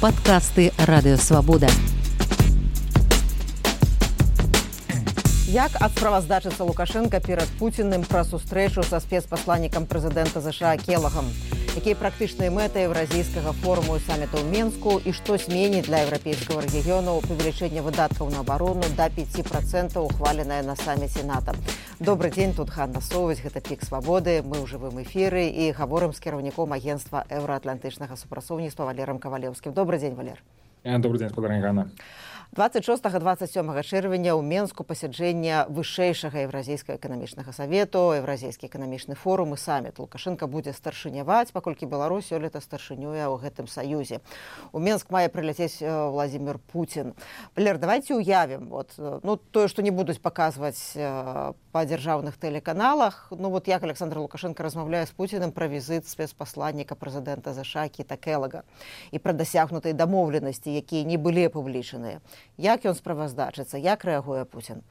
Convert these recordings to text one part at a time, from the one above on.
Падкасты Радыёвабода. Як адсправаздачыцца Лукашенка перад Пуціным пра сустрэчу са спецпасланнікам прэзідэнта ЗША Келагам? Якія практычныя мэты еўразійскага форуму і самміта ў Менску і што зменіць для еўрапейскага рэгіёну павелічэнне выдаткаў на абарону да 5%, ухваленае на самміце НАТО? Добрый дзень, тут Ганна Соваць, гэта Пік Свабоды. Мы ў жывым эфіры і гаворым з кіраўніком агенцтва еўраатлантычнага супрацоўніцтва Валерам Кавалеўскім. Добрый дзень, Валер. Добрый дзень, спадарня Ганна. 26-27 чэрвеня ў Менску пасяджэння вышэйшага еўразійскага эканамічнага савету, еўразійскі эканамічны форум і самміт. Лукашенко будзе старшыняваць, паколькі Беларусь сёлета старшынюе ў гэтым саюзе. У Менск мае прыляцець Владзімір Пуцін. Валер, давайте уявім, тое, што не будуць паказваць па дзяржаўных тэлеканалах, як Александр Лукашенко размаўляе з Пуціным пра візіт спецпасланніка прэзідэнта ЗША Кіта Келага і пра дасягнутыя дамоўленасці, якія не былі апублічаныя. Як ён справаздачыцца, як рэагуе Пуцін?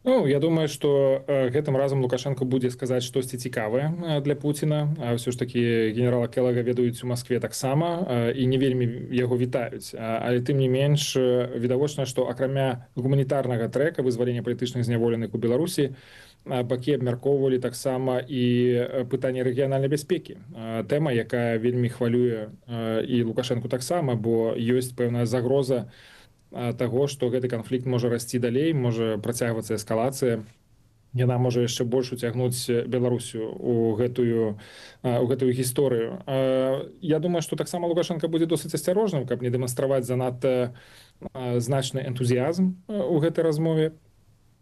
Я думаю, што гэтым разам Лукашенко будзе сказаць штосьці цікавае для Пуціна. Ўсё ж такі генерала Келага ведаюць у Маскве таксама і не вельмі яго вітаюць. Але тым не менш відавочна, што акрамя гуманітарнага трэка вызвалення палітычных зняволеных у Беларусі, бакі абмяркоўвалі таксама і пытанне рэгіянальнай бяспекі. Тэма, якая вельмі хвалюе і Лукашенку таксама, бо ёсць пэўная загроза таго, што гэты канфлікт можа расці далей, можа працягвацца эскалацыя. Яна можа яшчэ больш уцягнуць Беларусю ў гэтую гісторыю. Я думаю, што таксама Лукашенко будзе досыць асцярожным, каб не дэманстраваць занадта значны энтузіязм у гэтай размове,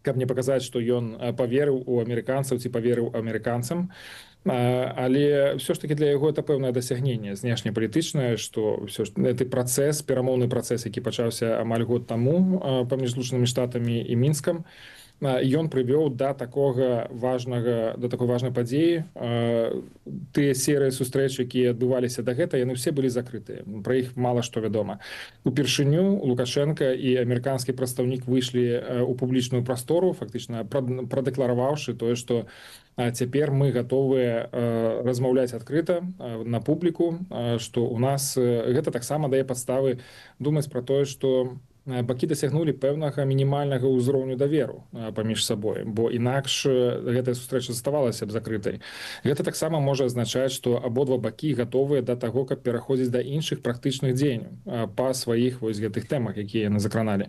каб не паказаць, што ён паверыў у амерыканцаў ці паверыў амерыканцам. Але ўсё ж такі для яго это пэўнае дасягненне знешнепалітычнае, што ўсё ж гэты працэс, перамоўны працэс, які пачаўся амаль год таму паміж Злучанымі Штатамі і Мінскам, ён прывёў да такой важнай падзеі. Тыя серыі сустрэч, якія адбываліся дагэтуль, яны ўсе былі закрытыя. Пра іх мала што вядома. Упершыню Лукашенко і амерыканскі прадстаўнік выйшлі ў публічную прастору, фактычна прадэклараваўшы тое, што цяпер мы гатовыя размаўляць адкрыта на публіку, што ў нас гэта таксама дае падставы думаць пра тое, што бакі дасягнулі пэўнага мінімальнага ўзроўню даверу паміж сабой, бо інакш гэтая сустрэча заставалася б закрытай. Гэта таксама можа азначаць, што абодва бакі гатовыя да таго, каб пераходзіць да іншых практычных дзеянняў па сваіх гэтых тэмах, якія яны закраналі.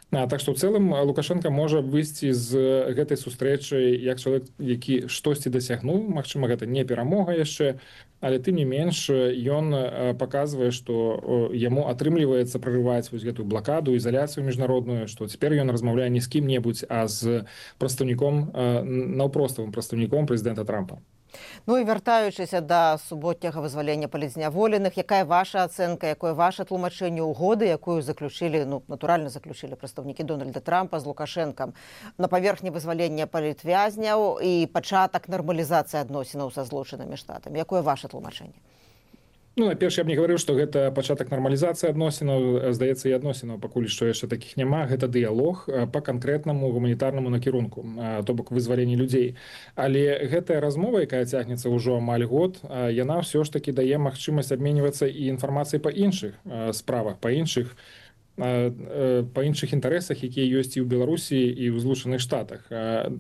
Так што ў цэлым Лукашенко можа выйсці з гэтай сустрэчы як чалавек, які штосьці дасягнуў. Магчыма, гэта не перамога яшчэ, але тым не менш ён паказвае, што яму атрымліваецца прарываць гэтую блакаду, ізаляцыю міжнародную, што цяпер ён размаўляе не з кім-небудзь, а з прадстаўніком, наўпроставым прадстаўніком прэзідэнта Трампа. І вяртаючыся да суботняга вызвалення палітзняволеных, якая ваша ацэнка, якое ваше тлумачэнне угоды, якую заключылі, натуральна заключылі прадстаўнікі Дональда Трампа з Лукашэнкам на паверхні вызвалення палітвязняў і пачатак нармалізацыі адносінаў са Злучанымі Штатамі. Якое ваше тлумачэнне? Найперш, я б не гаварыў, што гэта пачатак нармалізацыі адносінаў. Здаецца, і адносінаў пакуль што яшчэ такіх няма. Гэта дыялог па канкрэтнаму гуманітарнаму накірунку, то бок вызваленні людзей. Але гэтая размова, якая цягнецца ўжо амаль год, яна ўсё ж такі дае магчымасць абменьвацца і інфармацыяй па іншых справах, па іншых інтарэсах, якія ёсць і ў Беларусі, і ў Злучаных Штатах.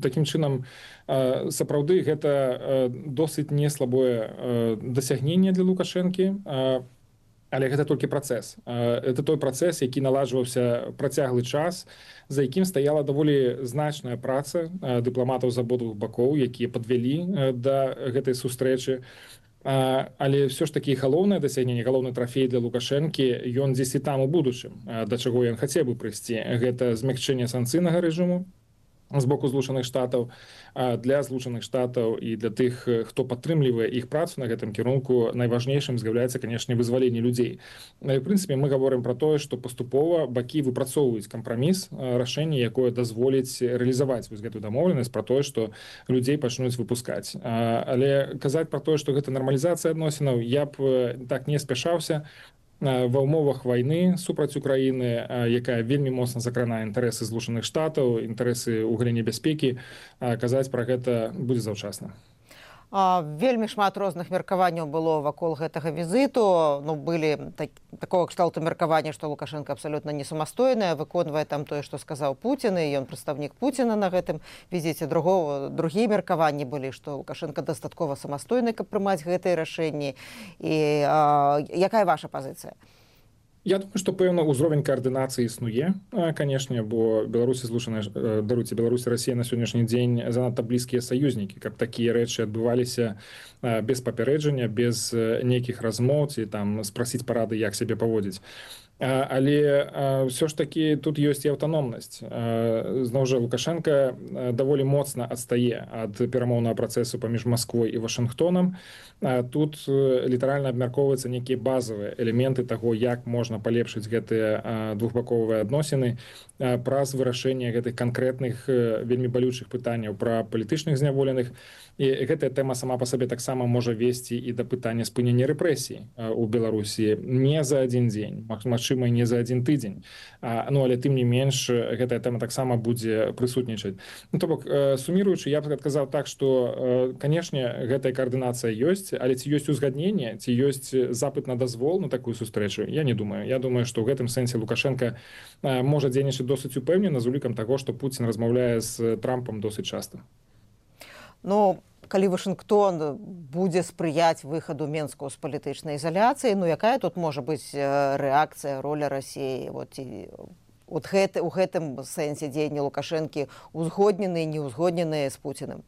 Такім чынам, сапраўды, гэта досыць неслабое дасягненне для Лукашэнкі, але гэта толькі працэс. Это той працэс, які наладжваўся працяглы час, за якім стаяла даволі значная праца дыпламатаў з абодвух бакоў, якія падвялі да гэтай сустрэчы. Але ўсё ж такі галоўнае дасягненне, галоўны трафей для Лукашэнкі, ён дзесьці там у будучым, да чаго ён хацеў бы прыйсці. Гэта змякчэнне санкцыйнага рэжыму з боку Злучаных Штатаў. Для Злучаных Штатаў і для тых, хто падтрымлівае іх працу на гэтым кірунку, найважнейшым з'яўляецца, канешне, вызваленне людзей. В прынцыпе, мы гаворым пра тое, што паступова бакі выпрацоўваюць кампраміс, рашэнне, якое дазволіць рэалізаваць гэтую дамоўленасць пра тое, што людзей пачнуць выпускаць. Але казаць пра тое, што гэта нармалізацыя адносінаў, я б так не спяшаўся. Ва ўмовах вайны супраць Украіны, якая вельмі моцна закранае інтарэсы Злучаных Штатаў, інтарэсы ў галіне бяспекі, казаць пра гэта будзе заўчасна. Вельмі шмат розных меркаванняў было вакол гэтага візіту. Ну, былі такого кшталту меркавання, што Лукашенко абсалютна не самастойная, выконвае там тое, што сказаў Пуцін, і ён прадстаўнік Пуціна на гэтым візіце. Другія меркаванні былі, што Лукашенко дастаткова самастойны, каб прымаць гэтыя рашэнні. І якая ваша пазіцыя? Я думаю, што пэўна ўзровень каардынацыі існуе, канешне, бо Беларусь Беларусь і Расія на сённяшні дзень занадта блізкія саюзнікі, каб такія рэчы адбываліся без папярэджання, без нейкіх размоў ці там спрасіць парады, як сябе паводзіць. Але ўсё ж такі тут ёсць і аўтаномнасць. Зноў жа, Лукашенко даволі моцна адстае ад перамоўнага працэсу паміж Масквой і Вашынгтонам. Тут літаральна абмяркоўваюцца нейкія базавыя элементы таго, як можна палепшыць гэтыя двухбаковыя адносіны праз вырашэнне гэтых канкрэтных вельмі балючых пытанняў пра палітычных зняволеных. І гэтая тэма сама па сабе таксама можа весці і да пытання спынення рэпрэсій у Беларусі не за адзін дзень, магчыма, не за адзін тыдзень. Ну, але тым не менш, гэтая тэма таксама будзе прысутнічаць. Ну, то бок, суміруючы, я б адказаў так, што, канешне, гэтая каардынацыя ёсць, але ці ёсць узгадненне, ці ёсць запыт на дазвол на такую сустрэчу, я не думаю. Я думаю, што ў гэтым сэнсе Лукашенко можа дзейнічаць досыць упэўнена з улікам таго, што Пуцін размаўляе з Трампам досыць часта. Ну, калі Вашынгтон будзе спрыяць выхаду Менску з палітычнай ізаляцыі, ну якая тут можа быць рэакцыя, роля Расіі? У гэтым сэнсе дзеянні Лукашэнкі узгодненыя, неўзгодненыя з Пуцінам?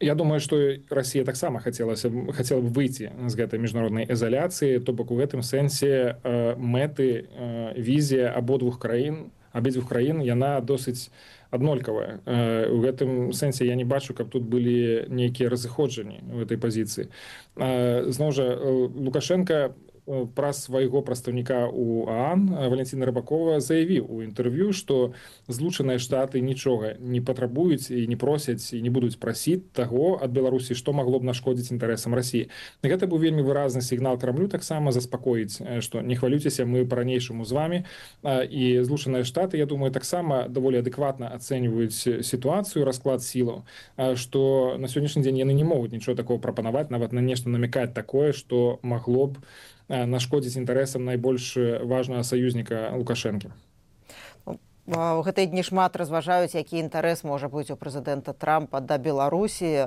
Я думаю, што Расія таксама хацела б выйти з гэтай міжнароднай ізаляцыі, то бок у гэтым сэнсе мэты, візія абедзвюх краін, яна досыць аднолькавая. У гэтым сэнсе я не бачу, каб тут былі нейкія разыходжанні ў гэтай пазіцыі. Зноў жа, Лукашенко праз свайго прадстаўніка ў ААН Валентина Рыбакова заявіў у інтэрв'ю, што Злучаныя Штаты нічога не патрабуюць і не просяць і не будуць прасіць таго ад Беларусі, што магло б нашкодзіць інтарэсам Расіі. Гэта быў вельмі выразны сігнал Крамлю таксама заспакоіць, што не хвалюйцеся, мы па-ранейшаму з вамі. І Злучаныя Штаты, я думаю, таксама даволі адэкватна ацэньваюць сітуацыю, расклад сілаў, што на сённяшні дзень яны не могуць нічого такого прапанаваць, нават на нешта намякаць такое, што магло б нашкодзіць інтарэсам найбольш важнага саюзніка Лукашэнкі. У гэтыя дні шмат разважаюць, які інтарэс можа быць у прэзідэнта Трампа да Беларусі,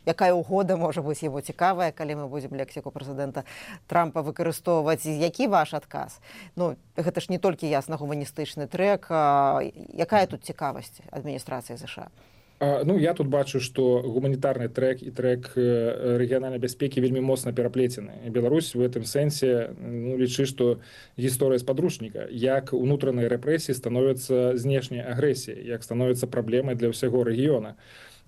якая ўгода можа быць яму цікавая, калі мы будзем лексіку прэзідэнта Трампа выкарыстоўваць. Які ваш адказ? Ну, гэта ж не толькі ясна гуманістычны трэк. Якая тут цікавасць адміністрацыі США? Ну, я тут бачу, што гуманітарны трэк і трэк рэгіянальнай бяспекі вельмі моцна пераплецены. Беларусь у гэтым сэнсе лічы, што гісторыя з падручніка, як унутраныя рэпрэсіі становяцца знешняй агрэсіяй, як становяцца праблемай для ўсяго рэгіёна.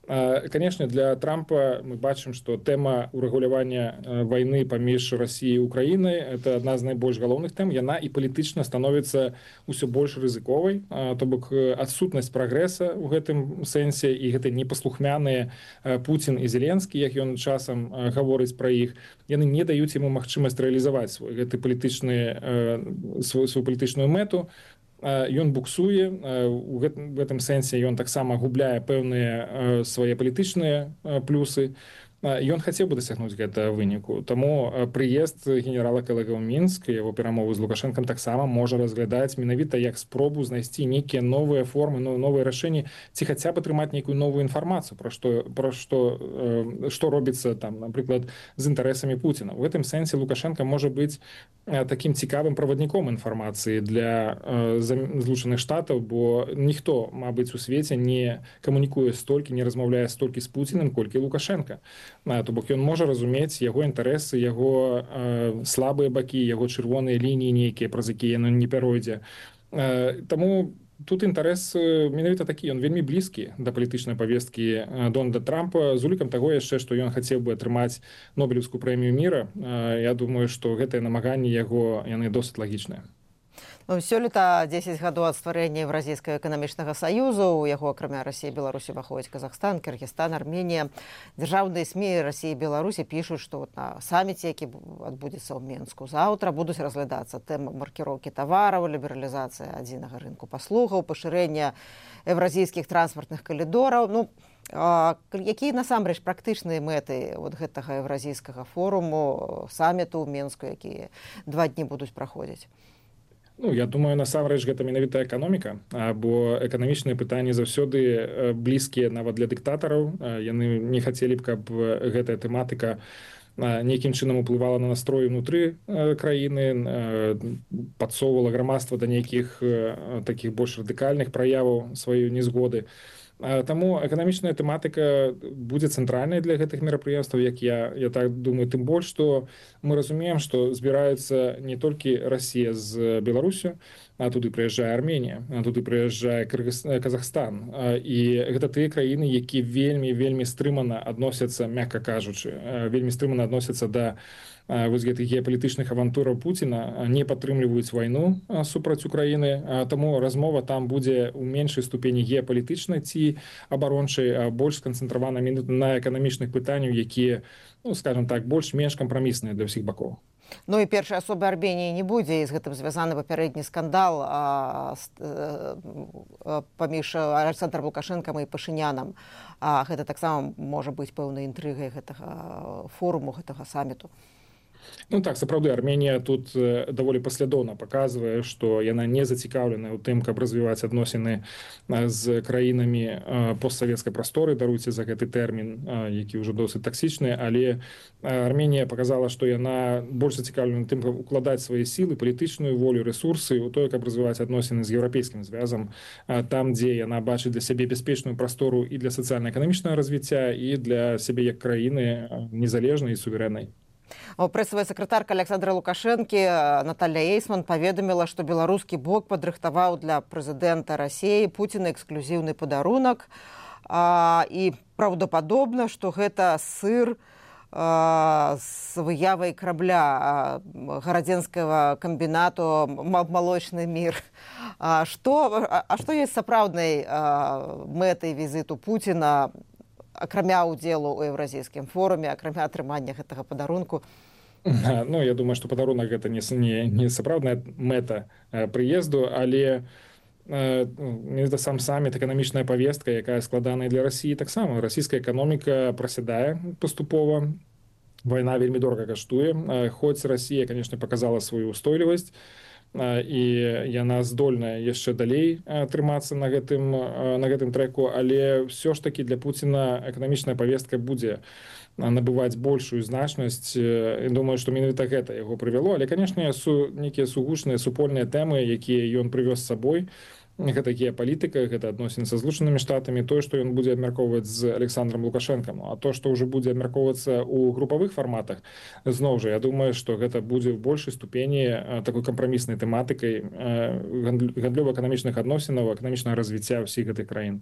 Конечно, для Трампа мы бачым, што тэма урэгулявання вайны паміж Расіяй і Украінай – это адна з найбольш галоўных тэм. Яна і палітычна становіцца ўсё больш рызыковай. То бок адсутнасць прагрэса ў гэтым сэнсе і гэты непаслухмяныя Пуцін і Зеленскі, як ён часам гаворыць пра іх, яны не даюць яму магчымасць рэалізаваць сваю палітычную мэту. Ён буксуе, у гэтым сэнсе ён таксама губляе пэўныя свае палітычныя плюсы. Ён хацеў бы дасягнуць гэтага выніку. Таму прыезд генерала Келега ў Мінск, яго перамовы з Лукашэнкам таксама можа разглядаць менавіта як спробу знайсці нейкія новыя формы, новыя рашэнні, ці хаця б атрымаць нейкую новую інфармацыю пра што робіцца там, напрыклад, з інтарэсамі Пуціна. У гэтым сэнсе Лукашенко можа быць такім цікавым правадніком інфармацыі для Злучаных Штатаў, бо ніхто, мабыць, у свеце не камунікуе столькі, не размаўляе столькі з Пуцінам, колькі Лукашенко. То бок ён можа разумець яго інтарэсы, яго слабыя бакі, яго чырвоныя лініі нейкія, праз якія ён не пяройдзе. Таму тут інтарэс менавіта такі, ён вельмі блізкі да палітычнай павесткі Дональда Трампа, з улікам таго яшчэ, што ён хацеў бы атрымаць Нобелеўскую прэмію міра. Я думаю, што гэтыя намаганні яго, яны досыць лагічныя. Ну, сёлета 10 гадоў ад стварэння Еўразійскага эканамічнага саюзу. У яго, акрамя Расіі і Беларусі, уваходзяць Казахстан, Кыргызстан, Арменія. Дзяржаўныя СМІ Расіі і Беларусі пішуць, што на саміце, які адбудзецца ў Менску заўтра, будуць разглядацца тэмы маркіроўкі тавараў, лібералізацыя адзінага рынку паслугаў, пашырэння еўразійскіх транспартных калідораў. Ну, Якія насамрэч практычныя мэты гэтага еўразійскага форуму, саміту ў Менску, якія 2 дні будуць праходзіць? Ну, я думаю, насамрэч гэта менавіта эканоміка, бо эканамічныя пытанні заўсёды блізкія нават для дыктатараў. Яны не хацелі б, каб гэтая тэматыка нейкім чынам уплывала на настрой унутры краіны, падсоўвала грамадства да нейкіх такіх больш радыкальных праяваў сваёй незгоды. Таму эканамічная тэматыка будзе цэнтральнай для гэтых мерапрыемстваў, як я так думаю, тым больш, што мы разумеем, што збіраюцца не толькі Расія з Беларусю, а туды прыязджае Арменія, а туды прыязджае Казахстан. І гэта тыя краіны, які вельмі стрымана адносяцца, мякка кажучы, вельмі стрымана адносяцца да вось гэтых геапалітычных авантураў Пуціна, не падтрымліваюць вайну супраць Украіны, таму размова там будзе ў меншай ступені геапалітычнай ці абарончай, больш сканцэнтравана на эканамічных пытанняў, якія, ну, скажем так, больш-менш кампрамісныя для ўсіх бакоў. Ну і першай асобы Арменіі не будзе, і з гэтым звязаны папярэдні скандал паміж Александром Лукашэнкам і Пашынянам. Гэта таксама можа быць пэўнай інтрыгай гэтага форуму, гэтага саміту. Ну так, сапраўды, Арменія тут даволі паслядоўна паказвае, што яна не зацікаўлена ў тым, каб развіваць адносіны з краінамі постсавецкай прасторы, даруйце за гэты тэрмін, які ўжо досыць таксічны, але Арменія паказала, што яна больш зацікаўлена тым, каб укладаць свае сілы, палітычную волю, рэсурсы ў тое, каб развіваць адносіны з еўрапейскім звязам, там, дзе яна бачыць для сябе бяспечную прастору і для сацыяльна-эканамічнага развіцця, і для сябе як краіны незалежнай і суверэннай. Прэсавая сакратарка Александра Лукашэнкі Наталья Эйсман паведаміла, што беларускі бок падрыхтаваў для прэзідэнта Расіі Пуціна эксклюзіўны падарунак, і праўдападобна, што гэта сыр з выявай карабля гарадзенскага камбінату «Малочны мір». Што ёсць сапраўднай мэтай візіту Пуціна, акрамя ўдзелу ў еўразійскім форуме, акрамя атрымання гэтага падарунку? Ну, я думаю, што падарунак гэта не сапраўдная мэта прыезду, але гэта сам саміт, эканамічная павестка, якая складаная для Расіі таксама. Расійская эканоміка прасядае паступова, вайна вельмі дорага каштуе, хоць Расія, канешне, паказала сваю устойлівасць, і яна здольная яшчэ далей трымацца на гэтым трэку, але ўсё ж такі для Пуціна эканамічная павестка будзе набываць большую значнасць. Думаю, што менавіта гэта яго прывяло, але, канешне, нейкія сугучныя супольныя тэмы, якія ён прывёз з сабой, гэта геапалітыка, гэта адносіны са Злучанымі Штатамі, тое, што ён будзе абмяркоўваць з Александром Лукашэнкам. А то, што ўжо будзе абмяркоўвацца ў групавых фарматах, зноў жа, я думаю, што гэта будзе ў большай ступені такой кампраміснай тэматыкай гандлёва-эканамічных адносінаў, эканамічнага развіцця ўсіх гэтых краін.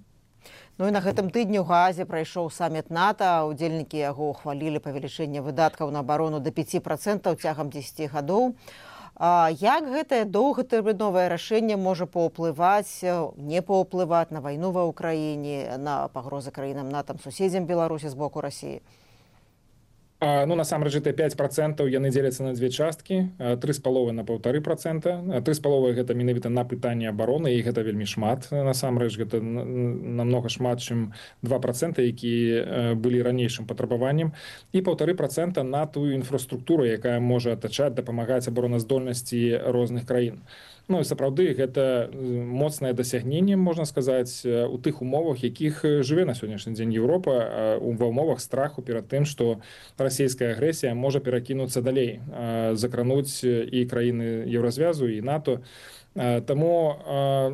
Ну і на гэтым тыдні ў Гаазе прайшоў саміт НАТО. Удзельнікі яго ухвалілі павелічэнне выдаткаў на абарону да 5% цягам 10 гадоў. Як гэтае доўгатэрміновае рашэнне можа паўплываць, не паўплываць на вайну ва ўкраіне, на пагрозы краінам НАТО, суседзям Беларусі з боку Расіі? Ну, насамрэч, гэтыя 5% яны дзеляцца на две часткі, 3,5 на 1,5%. 3,5 гэта менавіта на пытанне абароны, і гэта вельмі шмат. Насамрэч, гэта намнога шмат, чым 2%, якія былі ранейшым патрабаваннем, і 1,5% на тую інфраструктуру, якая можа атачаць, дапамагаць абароназдольнасці розных краін. Ну, і сапраўды, гэта моцнае дасягненне, можна сказаць, у тых умовах, якіх жыве на сённяшні дзень Еўропа, ва ўмовах страху перад тым, што расійская агрэсія можа перакінуцца далей, закрануць і краіны Еўразвязу, і НАТО. Таму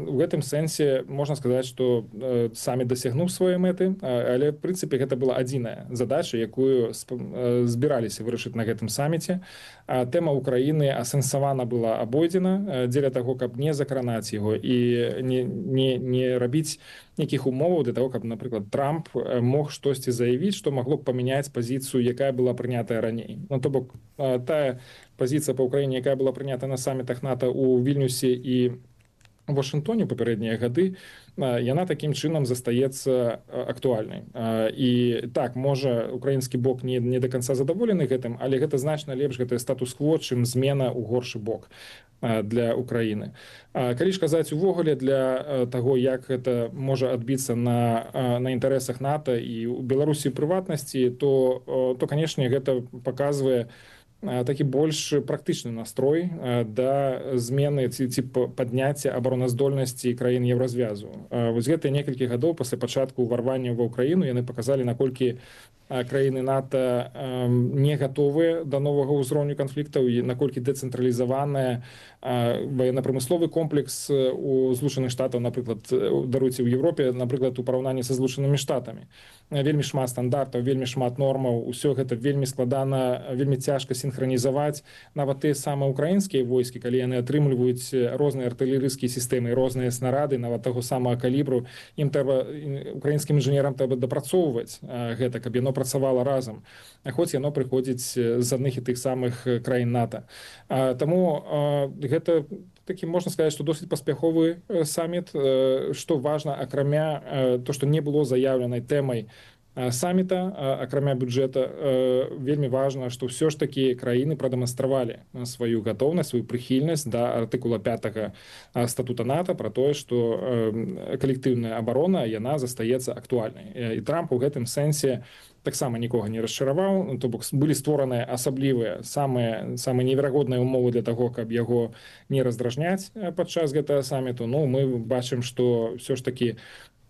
у гэтым сэнсе можна сказаць, што самі дасягнуў свае мэты, але, в прынцыпе, гэта была адзіная задача, якую збіраліся вырашыць на гэтым саміце. Тэма Украіны асэнсавана была абойдзена дзеля таго, каб не закранаць яго і не рабіць нейкіх умоваў для таго, каб, напрыклад, Трамп мог штосьці заявіць, што магло б памяняць пазіцыю, якая была прынятая раней. Ну, то бок, тая пазіцыя па Ўкраіне, якая была прынята на самітах НАТО ў Вільнюсе і Вашынгтоне папярэднія гады, яна такім чынам застаецца актуальнай. І так, можа, украінскі бок не да канца задаволены гэтым, але гэта значна лепш, гэта статус-кво, чым змена ў горшы бок для Украіны. Калі ж казаць увогуле для таго, як гэта можа адбіцца на інтарэсах НАТО і ў Беларусі прыватнасці, то канешне, гэта паказвае такі больш практычны настрой да змены ці падняцця абароназдольнасці краін Еўразвязу. Вось гэтыя некалькі гадоў пасля пачатку ўварвання ва ўкраіну яны паказалі, наколькі краіны НАТО не гатовыя да новага ўзроўню канфліктаў і наколькі дэцэнтралізаваная военно-прамысловы комплекс у Злучаных Штатаў, напрыклад, даруйце, ў Европе, напрыклад, у параўнанні са Злучанымі Штатамі. Вельмі шмат стандартаў, вельмі шмат нормаў, усё гэта вельмі складана, вельмі цяжка сінхранізаваць. Нават тыя самыя украінскія войскі, калі яны атрымліваюць розныя артылерыйскія сістэмы, розныя снарады, нават таго самага калібру, ім трэба, украінскім інжынерам трэба дапрацоўваць гэта, каб яно працавала разам, хоць яно прыходзіць з адных і тых самых краін НАТО. Таму гэта такі, можна сказаць, што досыць паспяховы саміт, што важна, акрамя то, што не было заяўленай тэмай саміта, акрамя бюджэта, вельмі важна, што ўсё ж такі краіны прадэманстравалі сваю гатоўнасць, сваю прыхільнасць да артыкула 5 статута НАТО пра тое, што калектыўная абарона, яна застаецца актуальнай. І Трамп у гэтым сэнсе таксама нікога не расчараваў, то бок былі створаныя асаблівыя самыя неверагодныя ўмовы для таго, каб яго не раздражняць падчас гэтага саміту. Ну, мы бачым, што ўсё ж такі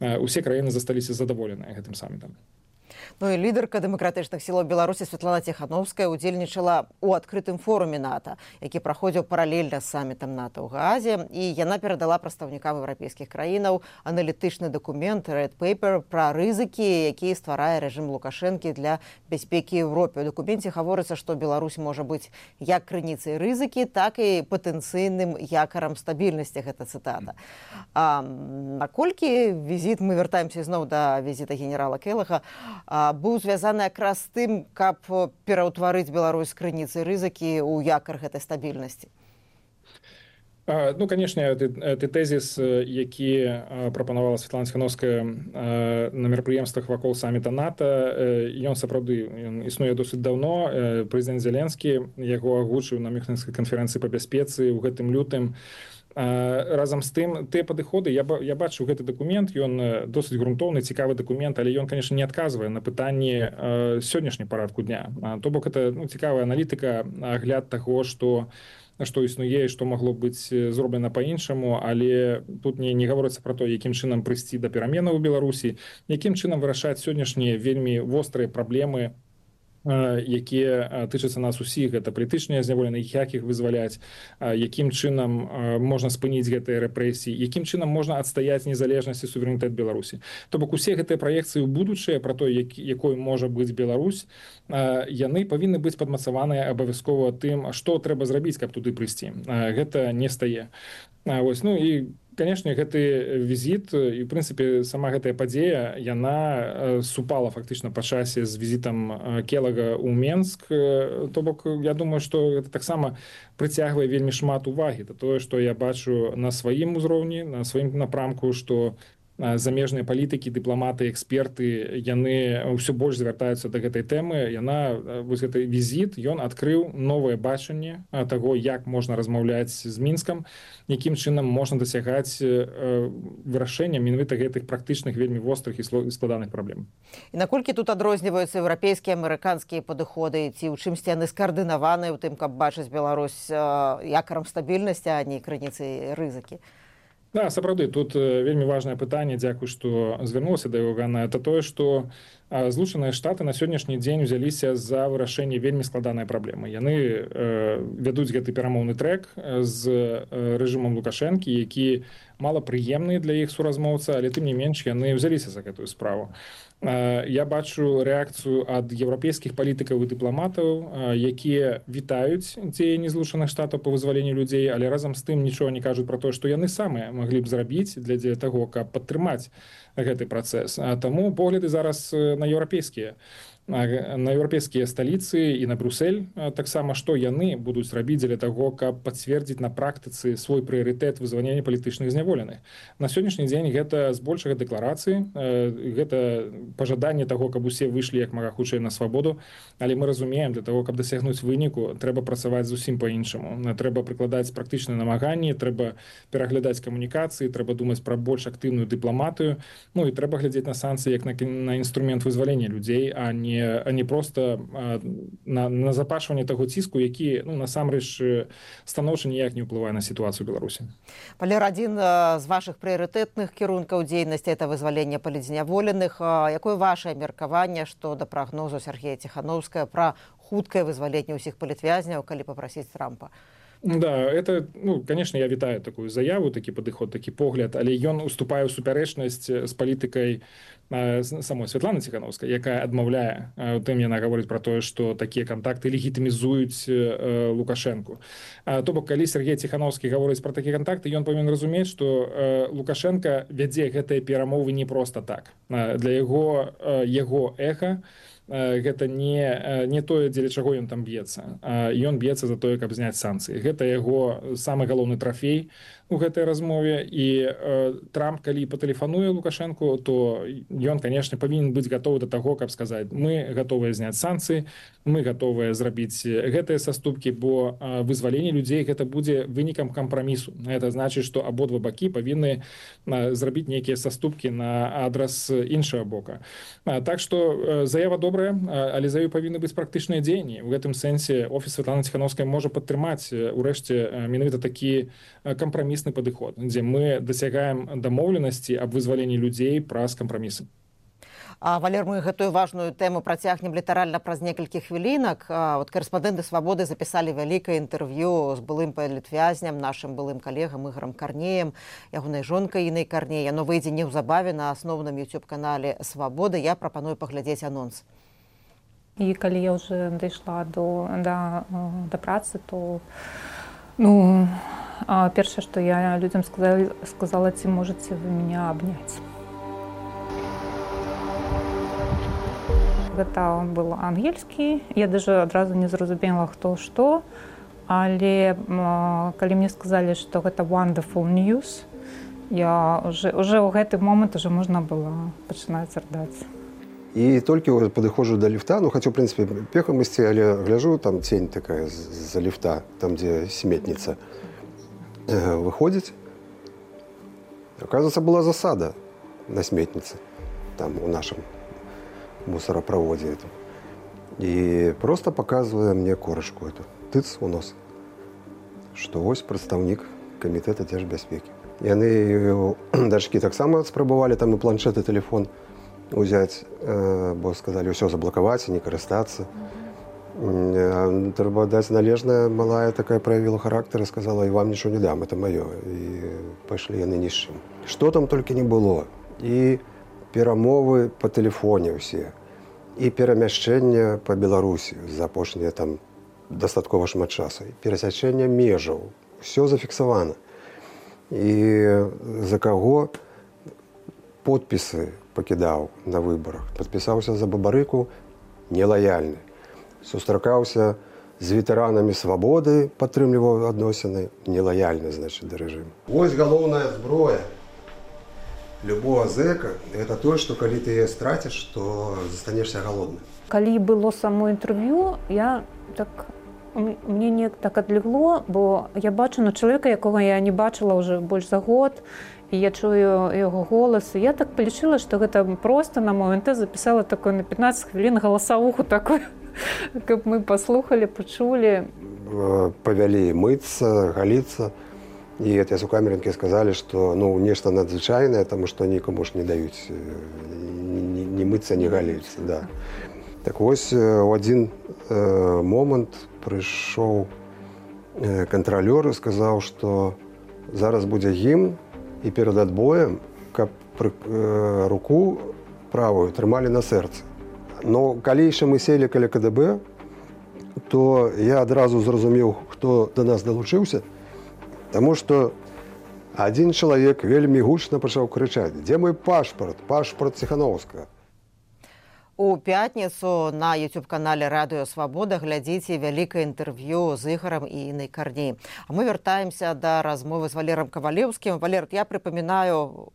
усе краіны засталіся задаволеныя гэтым самітам. Ну і лідарка дэмакратычных сілаў Беларусі Святлана Ціхановская удзельнічала ў адкрытым форуме НАТО, які праходзіў паралельна з самітам НАТО ў Гаазе, і яна перадала прадстаўнікам еўрапейскіх краінаў аналітычны дакумент Red Paper пра рызыкі, якія стварае рэжым Лукашэнкі для бяспекі Еўропе. У дакуменце гаворыцца, што Беларусь можа быць як крыніцай рызыкі, так і патэнцыйным якарам стабільнасці, гэта цытата. Наколькі візіт, мы вяртаемся зноў да візіта генерала Келлага, быў звязаны якраз з тым, каб пераўтварыць Беларусь з крыніцай рызыкі ў якар гэтай стабільнасці? Ну, канешне, ты тэзіс, які прапанавала Святлана Ціхановская на мерапрыемствах вакол саміта НАТО, ён сапраўды існуе досыць даўно. Прэзідэнт Зеленскі яго агучыў на Мюнхенскай канферэнцыі па бяспецы ў гэтым лютым. Разам з тым, тыя падыходы, я бачу гэты дакумент, ён досыць грунтоўны, цікавы дакумент, але ён, конечно, не адказвае на пытанні сённяшняй парадку дня. То бок, это цікавая аналітыка, агляд таго, што існуе і што магло быць зроблена па-іншаму, але тут не гаворыцца пра то, якім чынам прыйсці да пераменаў у Беларусі, якім чынам вырашаць сённяшнія вельмі вострыя праблемы, якія тычацца нас усіх, гэта палітычныя зняволеныя, як іх вызваляць, якім чынам можна спыніць гэтыя рэпрэсіі, якім чынам можна адстаяць незалежнасць і суверэнітэт Беларусі. То бок усе гэтыя праекцыі ў будучае пра то, якой можа быць Беларусь, яны павінны быць падмацаваныя абавязкова тым, што трэба зрабіць, каб туды прыйсці. Гэта не стае. Вось, ну і конечно, гэты візіт і, в прынцыпе, сама гэтая падзея, яна супала фактычна па часе з візітам Келлага ў Менск. То бок, я думаю, што гэта таксама прыцягвае вельмі шмат увагі. Это тое, што я бачу на сваім узроўні, на сваім напрамку, што замежныя палітыкі, дыпламаты, эксперты, яны ўсё больш звяртаюцца да гэтай тэмы. Вось гэты візіт, ён адкрыў новае бачанне таго, як можна размаўляць з Мінскам, якім чынам можна дасягаць вырашэння менавіта гэтых практычных, вельмі вострых і складаных праблем. І наколькі тут адрозніваюцца еўрапейскія, амерыканскія падыходы, ці ў чымсьці яны скаардынаваныя ў тым, каб бачыць Беларусь якарам стабільнасці, а не крыніцай рызыкі? Да, сапраўды, тут вельмі важнае пытанне, дзякуй, што звярнулася да Івана, это тое, што Злучаныя Штаты на сённяшні дзень узяліся за вырашэнне вельмі складанай праблемы. Яны вядуць гэты перамоўны трэк з рэжымам Лукашэнкі, які малапрыемны для іх суразмоўца, але тым не менш яны ўзяліся за гэтую справу. Я бачу рэакцыю ад еўрапейскіх палітыкаў і дыпламатаў, якія вітаюць дзеянні Злучаных Штатаў па вызваленню людзей, але разам з тым нічога не кажуць пра тое, што яны самыя маглі б зрабіць для таго, каб падтрымаць гэты працэс. Таму погляды зараз на еўрапейскія. на еўрапейскія сталіцы і на Брюссель таксама, што яны будуць рабіць для таго, каб пацвердзіць на практыцы свой прыярытэт вызвалення палітычных зняволеных. На сённяшні дзень гэта збольшага дэкларацыі, гэта пажаданне таго, каб усе выйшлі як мага хутчэй на свабоду, але мы разумеем, для таго, каб дасягнуць выніку, трэба працаваць зусім па-іншаму. Трэба прыкладаць практычныя намаганні, трэба пераглядаць камунікацыі, трэба думаць пра больш актыўную дыпламатыю, ну і трэба глядзець на санкцыі як на інструмент вызвалення людзей, а не просто на запашванне таго ціску, які насамрэч станоўча ніяк не ўплывае на сітуацыю ў Беларусі. Валер, адзін з вашых прыярытэтных кірункаў дзейнасці это вызваленне палітзняволеных. Якое ваше меркаванне, што да прагнозу Сергея Ціхановскага пра хуткае вызваленне ўсіх палітвязняў, калі папрасіць Трампа? Да, это, конечно, я вітаю такую заяву, такі падыход, такі погляд, але ён уступае ў супярэчнасць з палітыкай самой Святланы Ціхановскай, якая адмаўляе у тым, яна гаворыць пра тое, што такія кантакты легітымізуюць Лукашэнку. То бок, калі Сергей Ціхановскі гаворыць пра такія кантакты, ён павінен разумець, што Лукашенка вядзе гэтыя перамовы не проста так. Для яго эха гэта не тое, дзеля чаго ён там б'ецца. Ён б'ецца за тое, каб зняць санкцыі. Гэта яго самы галоўны трафей у гэтай размове. І Трамп, калі патэлефануе Лукашэнку, то ён, канешне, павінен быць гатовы да таго, каб сказаць, мы гатовыя зняць санкцыі, мы гатовыя зрабіць гэтыя саступкі, бо вызваленне людзей гэта будзе вынікам кампрамісу. Гэта значыць, што абодва бакі павінны зрабіць нейкія саступкі на адрас іншага бока. Так што заява добрая, але за ёй павінны быць практычныя дзеянні. У гэтым сэнсе офіс Святланы Ціхановскай можа падтрымаць урэшце менавіта такі кампрамісны падыход, дзе мы дасягаем дамоўленасці аб вызваленні людзей праз кампрамісы. Валер, мы гэтую важную тэму працягнем літаральна праз некалькі хвілінак. Карэспандэнты «Свабоды» запісалі вялікае інтэрв'ю з былым палітвязням, нашым былым калегам Ігорам Карнеем, ягонай жонкай Інай Карней. Яно выйдзе неўзабаве на асноўным YouTube-канале «Свабоды». Я прапаную паглядзець анонс. І калі я ўжо дайшла да працы, то першае, што я людзям сказала, ці можаце вы меня абняць. Гэта был ангельскі, я даже адразу не зразумела, хто што, але калі мне сказалі, што гэта wonderful news, я уже ў гэты момант уже можна было пачынаць рыдаць. І толькі падыходжу да ліфта, хацеў, в прынцыпе, пехам ісці, але гляжу, там цень такая з-за ліфта, там, дзе сметніца выходзіць. Оказывается, была засада на сметніцы, там, у нашым мусоропроводе эту. И просто показывая мне корочку эту, тыц у нос, что ось прадстаўнік камітэта дзяржбяспекі. Яны дачкі таксама спрабавалі там і планшет, і телефон узяць, бо сказалі ўсё заблакаваць і не карыстацца. Трэба даць належнае, малая такая праявіла характар і сказала, і вам нічого не дам, это маё. І пайшлі яны ні з чым. Што там толькі не было. І перамовы па тэлефоне ўсе, і перамяшчэнне па Беларусі за апошнія там дастаткова шмат часу, і перасячэнне межаў, усё зафіксавана. І за каго подпісы пакідаў на выбарах, падпісаўся за Бабарыку нелаяльны, сустракаўся з ветэранамі «Свабоды», падтрымліваў адносіны нелаяльны, значыць, да рэжыму. Вось галоўная зброя любого зэка – это то, что калі ты ее стратишь, то застанешься голодным. Калі было само інтэрв'ю, мне не так адлегло, бо я бачу на чалавека, якога я не бачыла ўжо больш за год, і я чую яго голас. І я так палічыла, што гэта проста на МНТ запісала такое на 15 хвілін галасавуху такую, каб мы паслухалі, пачулі. Павялі мыцца, галіцца. И эти сукамерники сказали, что нечто надзвычайное, потому что никому ж не дают ни мыться, ни галиться. Да. Так вот, в один момент пришел контролер и сказал, что зараз будет гимн, и перед отбоем руку правую трымали на сердце. Но когда еще мы сели каля КДБ, то я одразу зразумеў, хто до нас долучился. Таму што адзін чалавек вельмі гучна пачаў крычаць: «Дзе мой пашпарт? Пашпарт Ціхановскага». У пятніцу на YouTube-канале «Радыё Свабода» глядзіце вялікае інтэрв'ю з Ігорам і Іннай Карні. А мы вяртаемся да размовы з Валером Кавалеўскім. Валер, я прыпамінаю,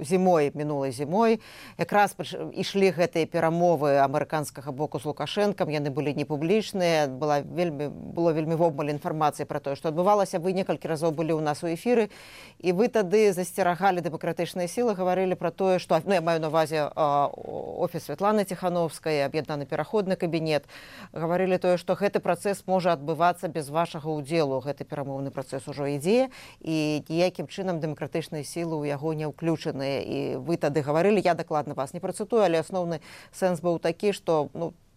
мінулай зімой якраз ішлі гэтыя перамовы амерыканскага боку з Лукашэнкам, яны былі не публічныя, было вельмі вобмаль інфармацыі пра тое, што адбывалася. Вы некалькі разоў былі ў нас у эфіры, і вы тады засцерагалі дэмакратычныя сілы, гаварылі пра тое, што, я маю на ўвазе офіс Святланы Ціхановскай, аб'яднаны пераходны кабінет, гаварылі тое, што гэты працэс можа адбывацца без вашага ўдзелу. Гэты перамоўны працэс ужо ідзе, і ніякім чынам дэмакратычныя сілы ў яго не ўключаны. І вы тады гаварылі, я дакладна вас не працытую, але асноўны сэнс быў такі, што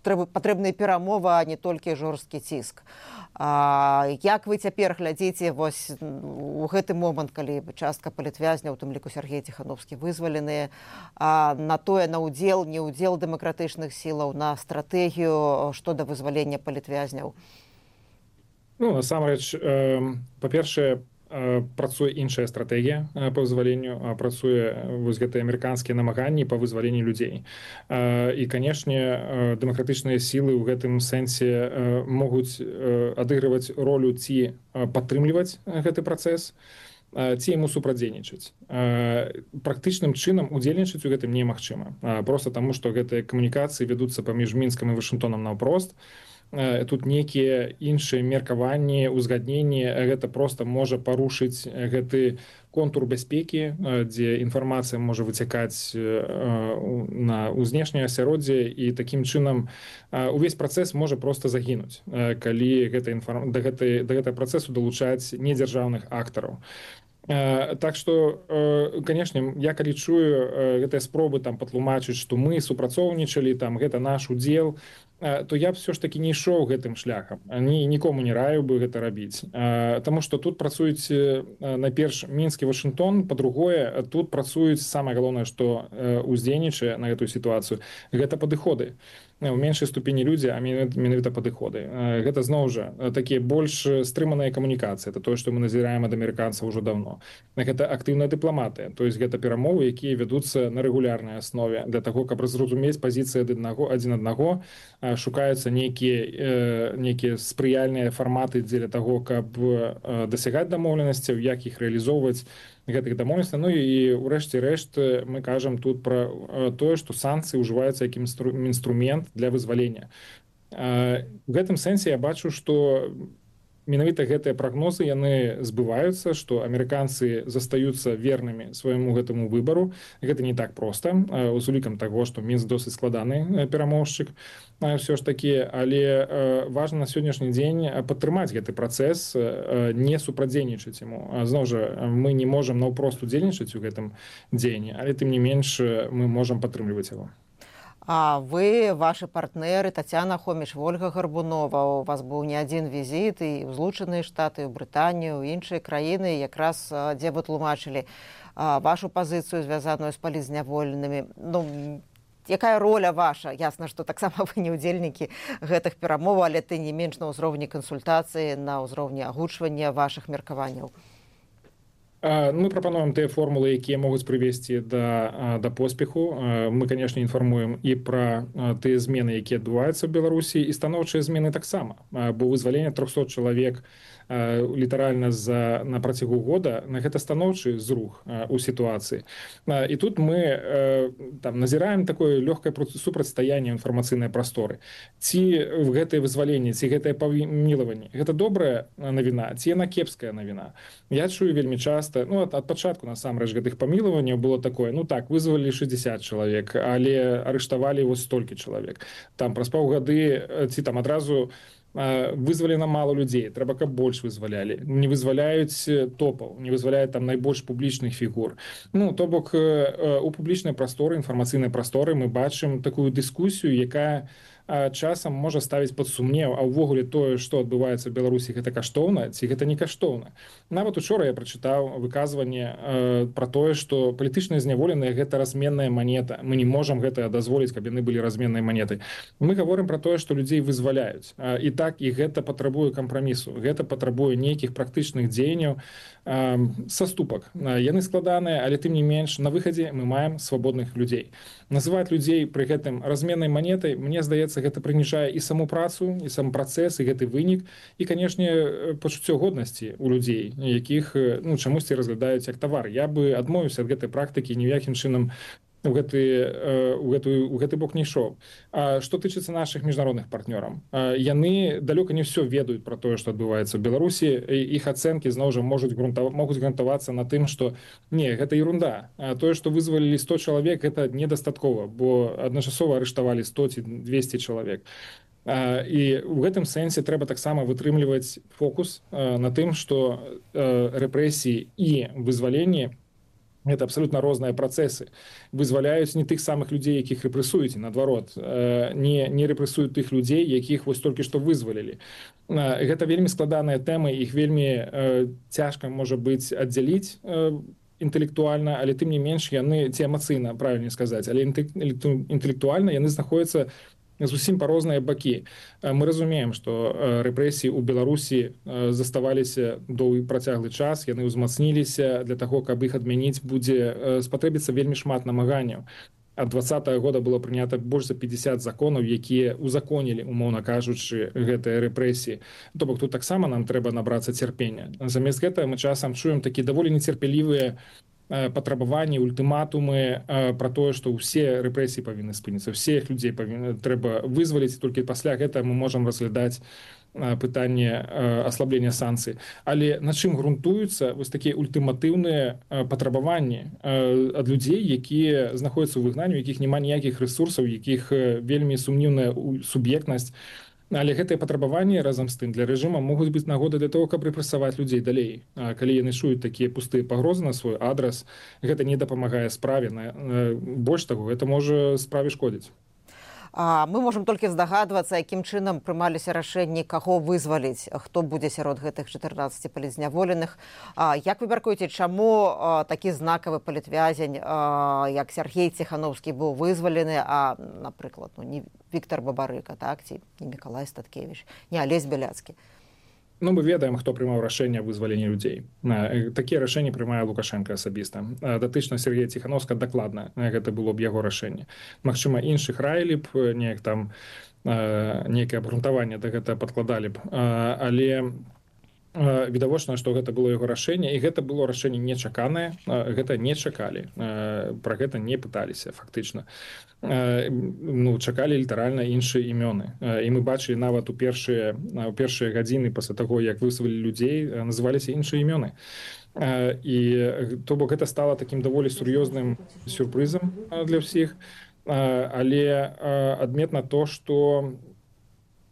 патрэбная перамова, а не толькі жорсткі ціск. Як вы цяпер глядзіце вось у гэты момант, калі частка палітвязняў, у тым ліку Сергей Ціхановскі, вызваленыя, на тое, на ўдзел, не ўдзел дэмакратычных сілаў, на стратэгію што да вызвалення палітвязняў? Насамрэч, па-першае, працуе іншая стратэгія па вызваленню, працуе вось гэтыя амерыканскія намаганні па вызваленні людзей. І, канешне, дэмакратычныя сілы ў гэтым сэнсе могуць адыгрываць ролю ці падтрымліваць гэты працэс, ці яму супрацьдзейнічаць. Практычным чынам удзельнічаць у гэтым немагчыма. Проста таму, што гэтыя камунікацыі вядуцца паміж Мінскам і Вашынгтонам наўпрост. Тут нейкія іншыя меркаванні, узгадненні, гэта проста можа парушыць гэты контур бяспекі, дзе інфармацыя можа выцякаць на знешняе асяроддзе, і такім чынам увесь працэс можа проста загінуць, калі да гэтага працэсу далучаць недзяржаўных актараў. Так што, канешне, я калі чую гэтыя спробы патлумачыць, што мы супрацоўнічалі, гэта наш удзел, то я б все ж таки не ішоў гэтым шляхам. Нікому не раю бы гэта рабіць. Таму што тут працуюць найперш Мінск і Вашынгтон, па-другое, тут працуюць самае галоўнае, што уздзейнічае на гэтую сітуацыю, гэта падыходы. У меншай ступені людзі, а менавіта падыходы. Гэта зноў жа такія больш стрыманыя камунікацыі. Это тое, што мы назіраем ад амерыканцаў ужо давно. Гэта актыўная дыпламатыя, то есть гэта перамовы, якія вядуцца на рэгулярнай аснове для таго, каб зразумець пазіцыі адзін аднаго, шукаюцца нейкія спрыяльныя фарматы дзеля таго, каб дасягаць дамоўленасцяў, як іх рэалізоўваць гэтых дамоўленасцяў. І ўрэшце рэшт мы кажам тут пра тое, што санкцыі ўжываюцца як інструмент для вызвалення. У гэтым сэнсе я бачу, што менавіта гэтыя прагнозы яны збываюцца, што амерыканцы застаюцца вернымі свайму гэтаму выбару. Гэта не так проста, з улікам таго, што Мінск досыць складаны перамоўшчык ўсё ж такі, але важна на сённяшні дзень падтрымаць гэты працэс, не супрацьдзейнічаць яму. Зноў жа, мы не можам наўпрост удзельнічаць у гэтым дзеянні, але тым не менш мы можам падтрымліваць яго. А вы, ваши партнеры, Тацяна Хоміч, Вольга Гарбунова, у вас быў не адзін візіт і ў Злучаныя Штаты, ў Брытанію, ў іншыя краіны, якраз дзе вы тлумачылі вашу пазіцыю, звязаную з палізняволенымі. Якая роля ваша? Ясна, што таксама вы не ўдзельнікі гэтых перамоваў, але ты не менш на ўзроўні кансультацыі, на ўзроўні агучвання вашых меркаванняў. Мы прапануем тыя формулы, якія могуць прывесці да поспеху. Мы, канешне, інфармуем і пра тыя змены, якія адбываюцца ў Беларусі, і станоўчыя змены таксама. Бо вызваленне 300 чалавек літаральна на працягу года, гэта станоўчы зрух у сітуацыі. І тут мы назіраем такое лёгкае супрацьстаянне інфармацыйнай прасторы. Ці гэтае вызваленне, ці гэтае памілаванне, гэта добрая навіна, ці яна кепская навіна. Я чую вельмі часта, ад пачатку насамрэч гэтых памілаванняў было такое, вызвалі 60 чалавек, але арыштавалі вось столькі чалавек. Праз паўгады ці адразу вызвалена мало людзей, трэба, каб больш вызвалялі. Не вызваляюць топаў, не вызваляюць найбольш публічных фігур. То бок у публічнай прасторы, інфармацыйнай прасторы мы бачым такую дыскусію, якая часам можа ставіць пад сумнеў, а ўвогуле тое, што адбываецца ў Беларусі, гэта каштоўна ці гэта не каштоўна. Нават учора я прачытаў выказванне пра тое, што палітычныя зняволеныя гэта разменная манета. Мы не можам гэта дазволіць, каб яны былі разменнай манетай. Мы гаворым пра тое, што людзей вызваляюць. І так, і гэта патрабуе кампрамісу. Гэта патрабуе нейкіх практычных дзеянняў, саступак. Яны складаныя, але тым не менш на выхадзе мы маем свабодных людзей. Называць людзей пры гэтым разменнай манетай, мне здаецца, гэта прыніжае і саму працу, і сам працэс, і гэты вынік, і, канешне, пачуццё годнасці ў людзей, якіх чамусьці разглядаюць як тавар. Я бы адмовіўся ад гэтай практыкі, ні ў якім чынам у гэты бок не ішоў. Што тычыцца нашых міжнародных партнёраў, яны далёка не ўсё ведаюць пра тое, што адбываецца ў Беларусі. Іх ацэнкі зноў жа могуць грунтавацца на тым, што не, гэта ерунда. Тое, што вызвалілі 100 чалавек, гэта недастаткова, бо адначасова арыштавалі 100 ці 200 чалавек. І ў гэтым сэнсе трэба таксама вытрымліваць фокус на тым, што рэпрэсіі і вызваленні гэта абсалютна розныя працэсы. Вызваляюць не тых самых людзей, якіх рэпрэсуюць, наадварот, не рэпрэсуюць тых людзей, якіх вось толькі што вызвалілі. Гэта вельмі складаная тэма, іх вельмі цяжка можа быць аддзяліць інтэлектуальна, але тым не менш яны, ці эмацыйна, правільней сказаць, але інтэлектуальна яны знаходзяцца зусім па розныя бакі. Мы разумеем, што рэпрэсіі ў Беларусі заставаліся доўгі працяглы час, яны ўзмацніліся, для таго, каб іх адмяніць, будзе спатрэбіцца вельмі шмат намаганняў. Ад 2020 года было прынята больш за 50 законаў, якія узаконілі, умоўна кажучы, гэтыя рэпрэсіі. То бок тут таксама нам трэба набрацца цярпення. Замест гэтага мы часам чуем такі даволі нецярпелівыя патрабаванні, ультыматумы пра тое, што ўсе рэпрэсіі павінны спыніцца, ўсіх людзей трэба вызваліць, толькі пасля гэтага мы можам разглядаць пытанне аслаблення санкцый. Але на чым грунтуюцца вось такія ультыматыўныя патрабаванні ад людзей, якія знаходзяцца ў выгнанні, у якіх няма ніякіх рэсурсаў, якіх вельмі сумнеўная суб'ектнасць. Але гэтыя патрабаванні разам з тым для рэжыма могуць быць нагодай для того, каб рэпрэсаваць людзей далей. Калі яны чуюць такія пустыя пагрозы на свой адрас, гэта не дапамагае справе. Больш таго, гэта можа справе шкодзіць. Мы можам толькі здагадвацца, якім чынам прымаліся рашэнні, каго вызваліць, хто будзе сярод гэтых 14 палітзняволеных. Як вы мяркуеце, чаму такі знакавы палітвязень, як Сергей Ціхановскі, быў вызвалены, а, напрыклад, не Віктор Бабарыка, так, ці не Мікалай Статкевіч, не Алесь Бяляцкі? Мы ведаем, хто прымаў рашэнне аб вызваленні людзей. Такія рашэнні прымае Лукашенко асабіста. Датычна Сергея Ціхановска дакладна гэта было б яго рашэнне. Магчыма, іншых раілі б, нейкае абгрунтаванне да гэта падкладалі б. Але відавочна, што гэта было яго рашэнне, і гэта было рашэнне нечаканае, гэта не чакалі, пра гэта не пыталіся фактычна. Чакалі літаральна іншыя імёны. І мы бачылі нават у першыя гадзіны пасля таго, як вызвалілі людзей, называліся іншыя імёны. І то бок гэта стала такім даволі сур'ёзным сюрпрызам для ўсіх, але адметна то, што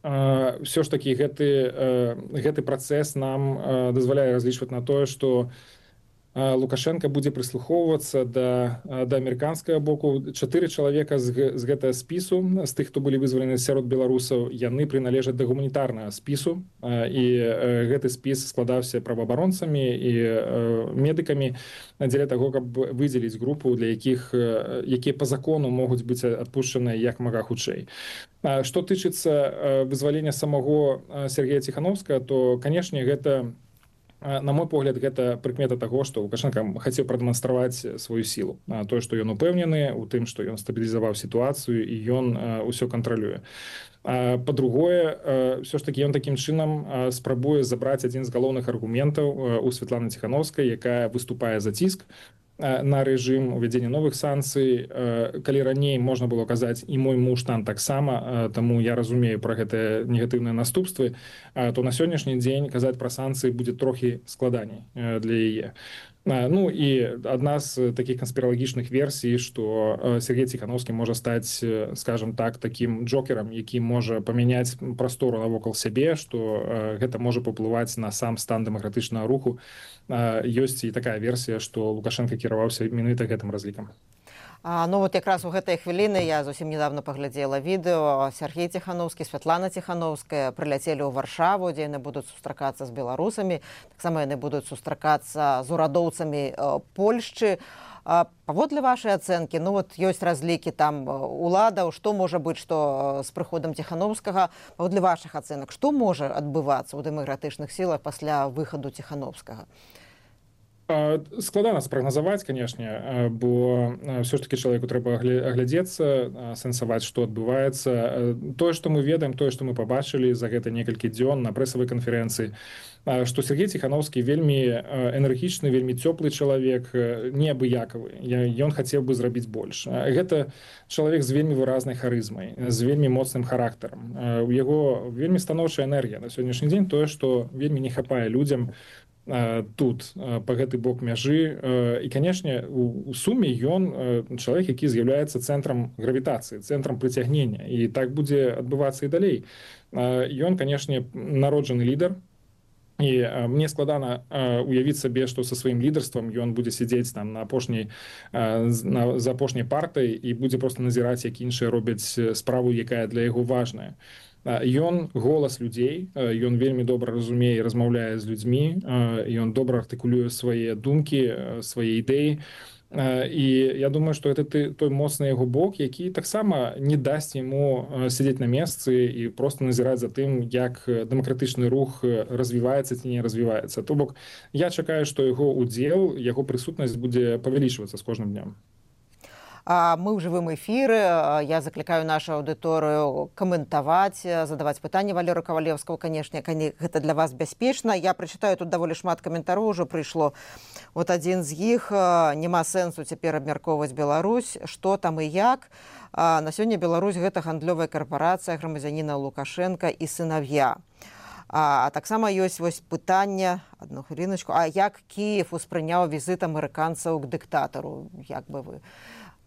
ўсё ж такі гэты працэс нам дазваляе разлічваць на тое, што Лукашенко будзе прыслухоўвацца да амерыканскага боку. 4 чалавека з гэтага спісу, з тых, хто былі вызвалены сярод беларусаў, яны прыналежаць да гуманітарнага спісу, і гэты спіс складаўся праваабаронцамі і медыкамі дзеля таго, каб выдзеліць групу, для якія па закону могуць быць адпушчаныя як мага хутчэй. Што тычыцца вызвалення самого Сергея Ціхановскага, то, канешне, гэта, на мой погляд, гэта прыкмета таго, што Лукашенко хацеў прадэманстраваць сваю сілу. Тое, што ён упэўнены ў тым, што ён стабілізаваў сітуацыю і ён ўсё кантралюе. Па-другое, ўсё ж такі ён такім чынам спрабуе забраць адзін з галоўных аргументаў у Святланы Ціхановскай, якая выступае за ціск на рэжым, увядзення новых санкцый. Калі раней можна было казаць і мой муж там таксама, таму я разумею пра гэтыя негатыўныя наступствы, то на сённяшні дзень казаць пра санкцыі будзе трохі складаней для яе. І адна з такіх канспіралагічных версій, што Сергей Ціхановскі можа стаць, скажем так, такім джокерам, які можа памяняць прастору навокал сябе, што гэта можа паўплываць на сам стан дэмакратычнага руху. Ёсць і такая версія, што Лукашенко кіраваўся менавіта гэтым разлікам. Ну вот якраз у гэтай хвіліны я зусім недавно паглядзела відэо. Сергей Ціхановскі, Святлана Ціхановская прыляцелі ў Варшаву, дзе яны будуць сустракацца з беларусамі. Таксама яны будуць сустракацца з урадоўцамі Польшчы. Паводле вашай ацэнкі, ну вот ёсць разлікі там уладаў, што можа быць, што з прыходам Ціхановскага, паводле вашых ацэнак, што можа адбывацца ў дэмакратычных сілах пасля выхаду Ціхановскага? Складана спрагназаваць, канешне, бо ўсё ж такі чалавеку трэба аглядзецца, сэнсаваць, што адбываецца. Тое, што мы ведаем, тое, што мы пабачылі за гэта некалькі дзён на прэсавай канферэнцыі, што Сергей Ціхановскі вельмі энергічны, вельмі цёплы чалавек, неабыякавы. Ён хацеў бы зрабіць больш. Гэта чалавек з вельмі выразнай харызмай, з вельмі моцным характарам. У яго вельмі станоўчая энергія на сённяшні дзень, тое, што вельмі не хапае людзям тут па гэты бок мяжы. І канешне у суме ён чалавек, які з'яўляецца цэнтрам гравітацыі, цэнтрам прыцягнення, і так будзе адбывацца і далей. Ён канешне народжаны лідар, і мне складана уявіць сабе, што са сваім лідарствам ён будзе сядзець там за апошняй партай і будзе проста назіраць, як іншыя робяць справу, якая для яго важная. Ён голас людзей, ён вельмі добра разумее і размаўляе з людзьмі, ён добра артыкулюе свае думкі, свае ідэі. І я думаю, што гэта той моцны яго бок, які таксама не дасць яму сядзець на месцы і проста назіраць за тым, як дэмакратычны рух развіваецца ці не развіваецца. То бок я чакаю, што яго удзел, яго прысутнасць будзе павялічвацца з кожным днём. Мы ў жывым эфіры. Я заклікаю нашу аўдыторыю каментаваць, задаваць пытанні Валеру Кавалеўскаму. Канешне, гэта для вас бяспечна. Я прачытаю, тут даволі шмат каментароў ужо прыйшло. Вот адзін з іх: няма сэнсу цяпер абмяркоўваць Беларусь, што там і як. На сёння Беларусь — гэта гандлёвая карпарацыя грамадзяніна Лукашенка і сынав'я. А таксама ёсць вось пытанне, адну хвіліначку, а як Кіев успрыняў візіт амерыканцаў к дыктатару? Як бы вы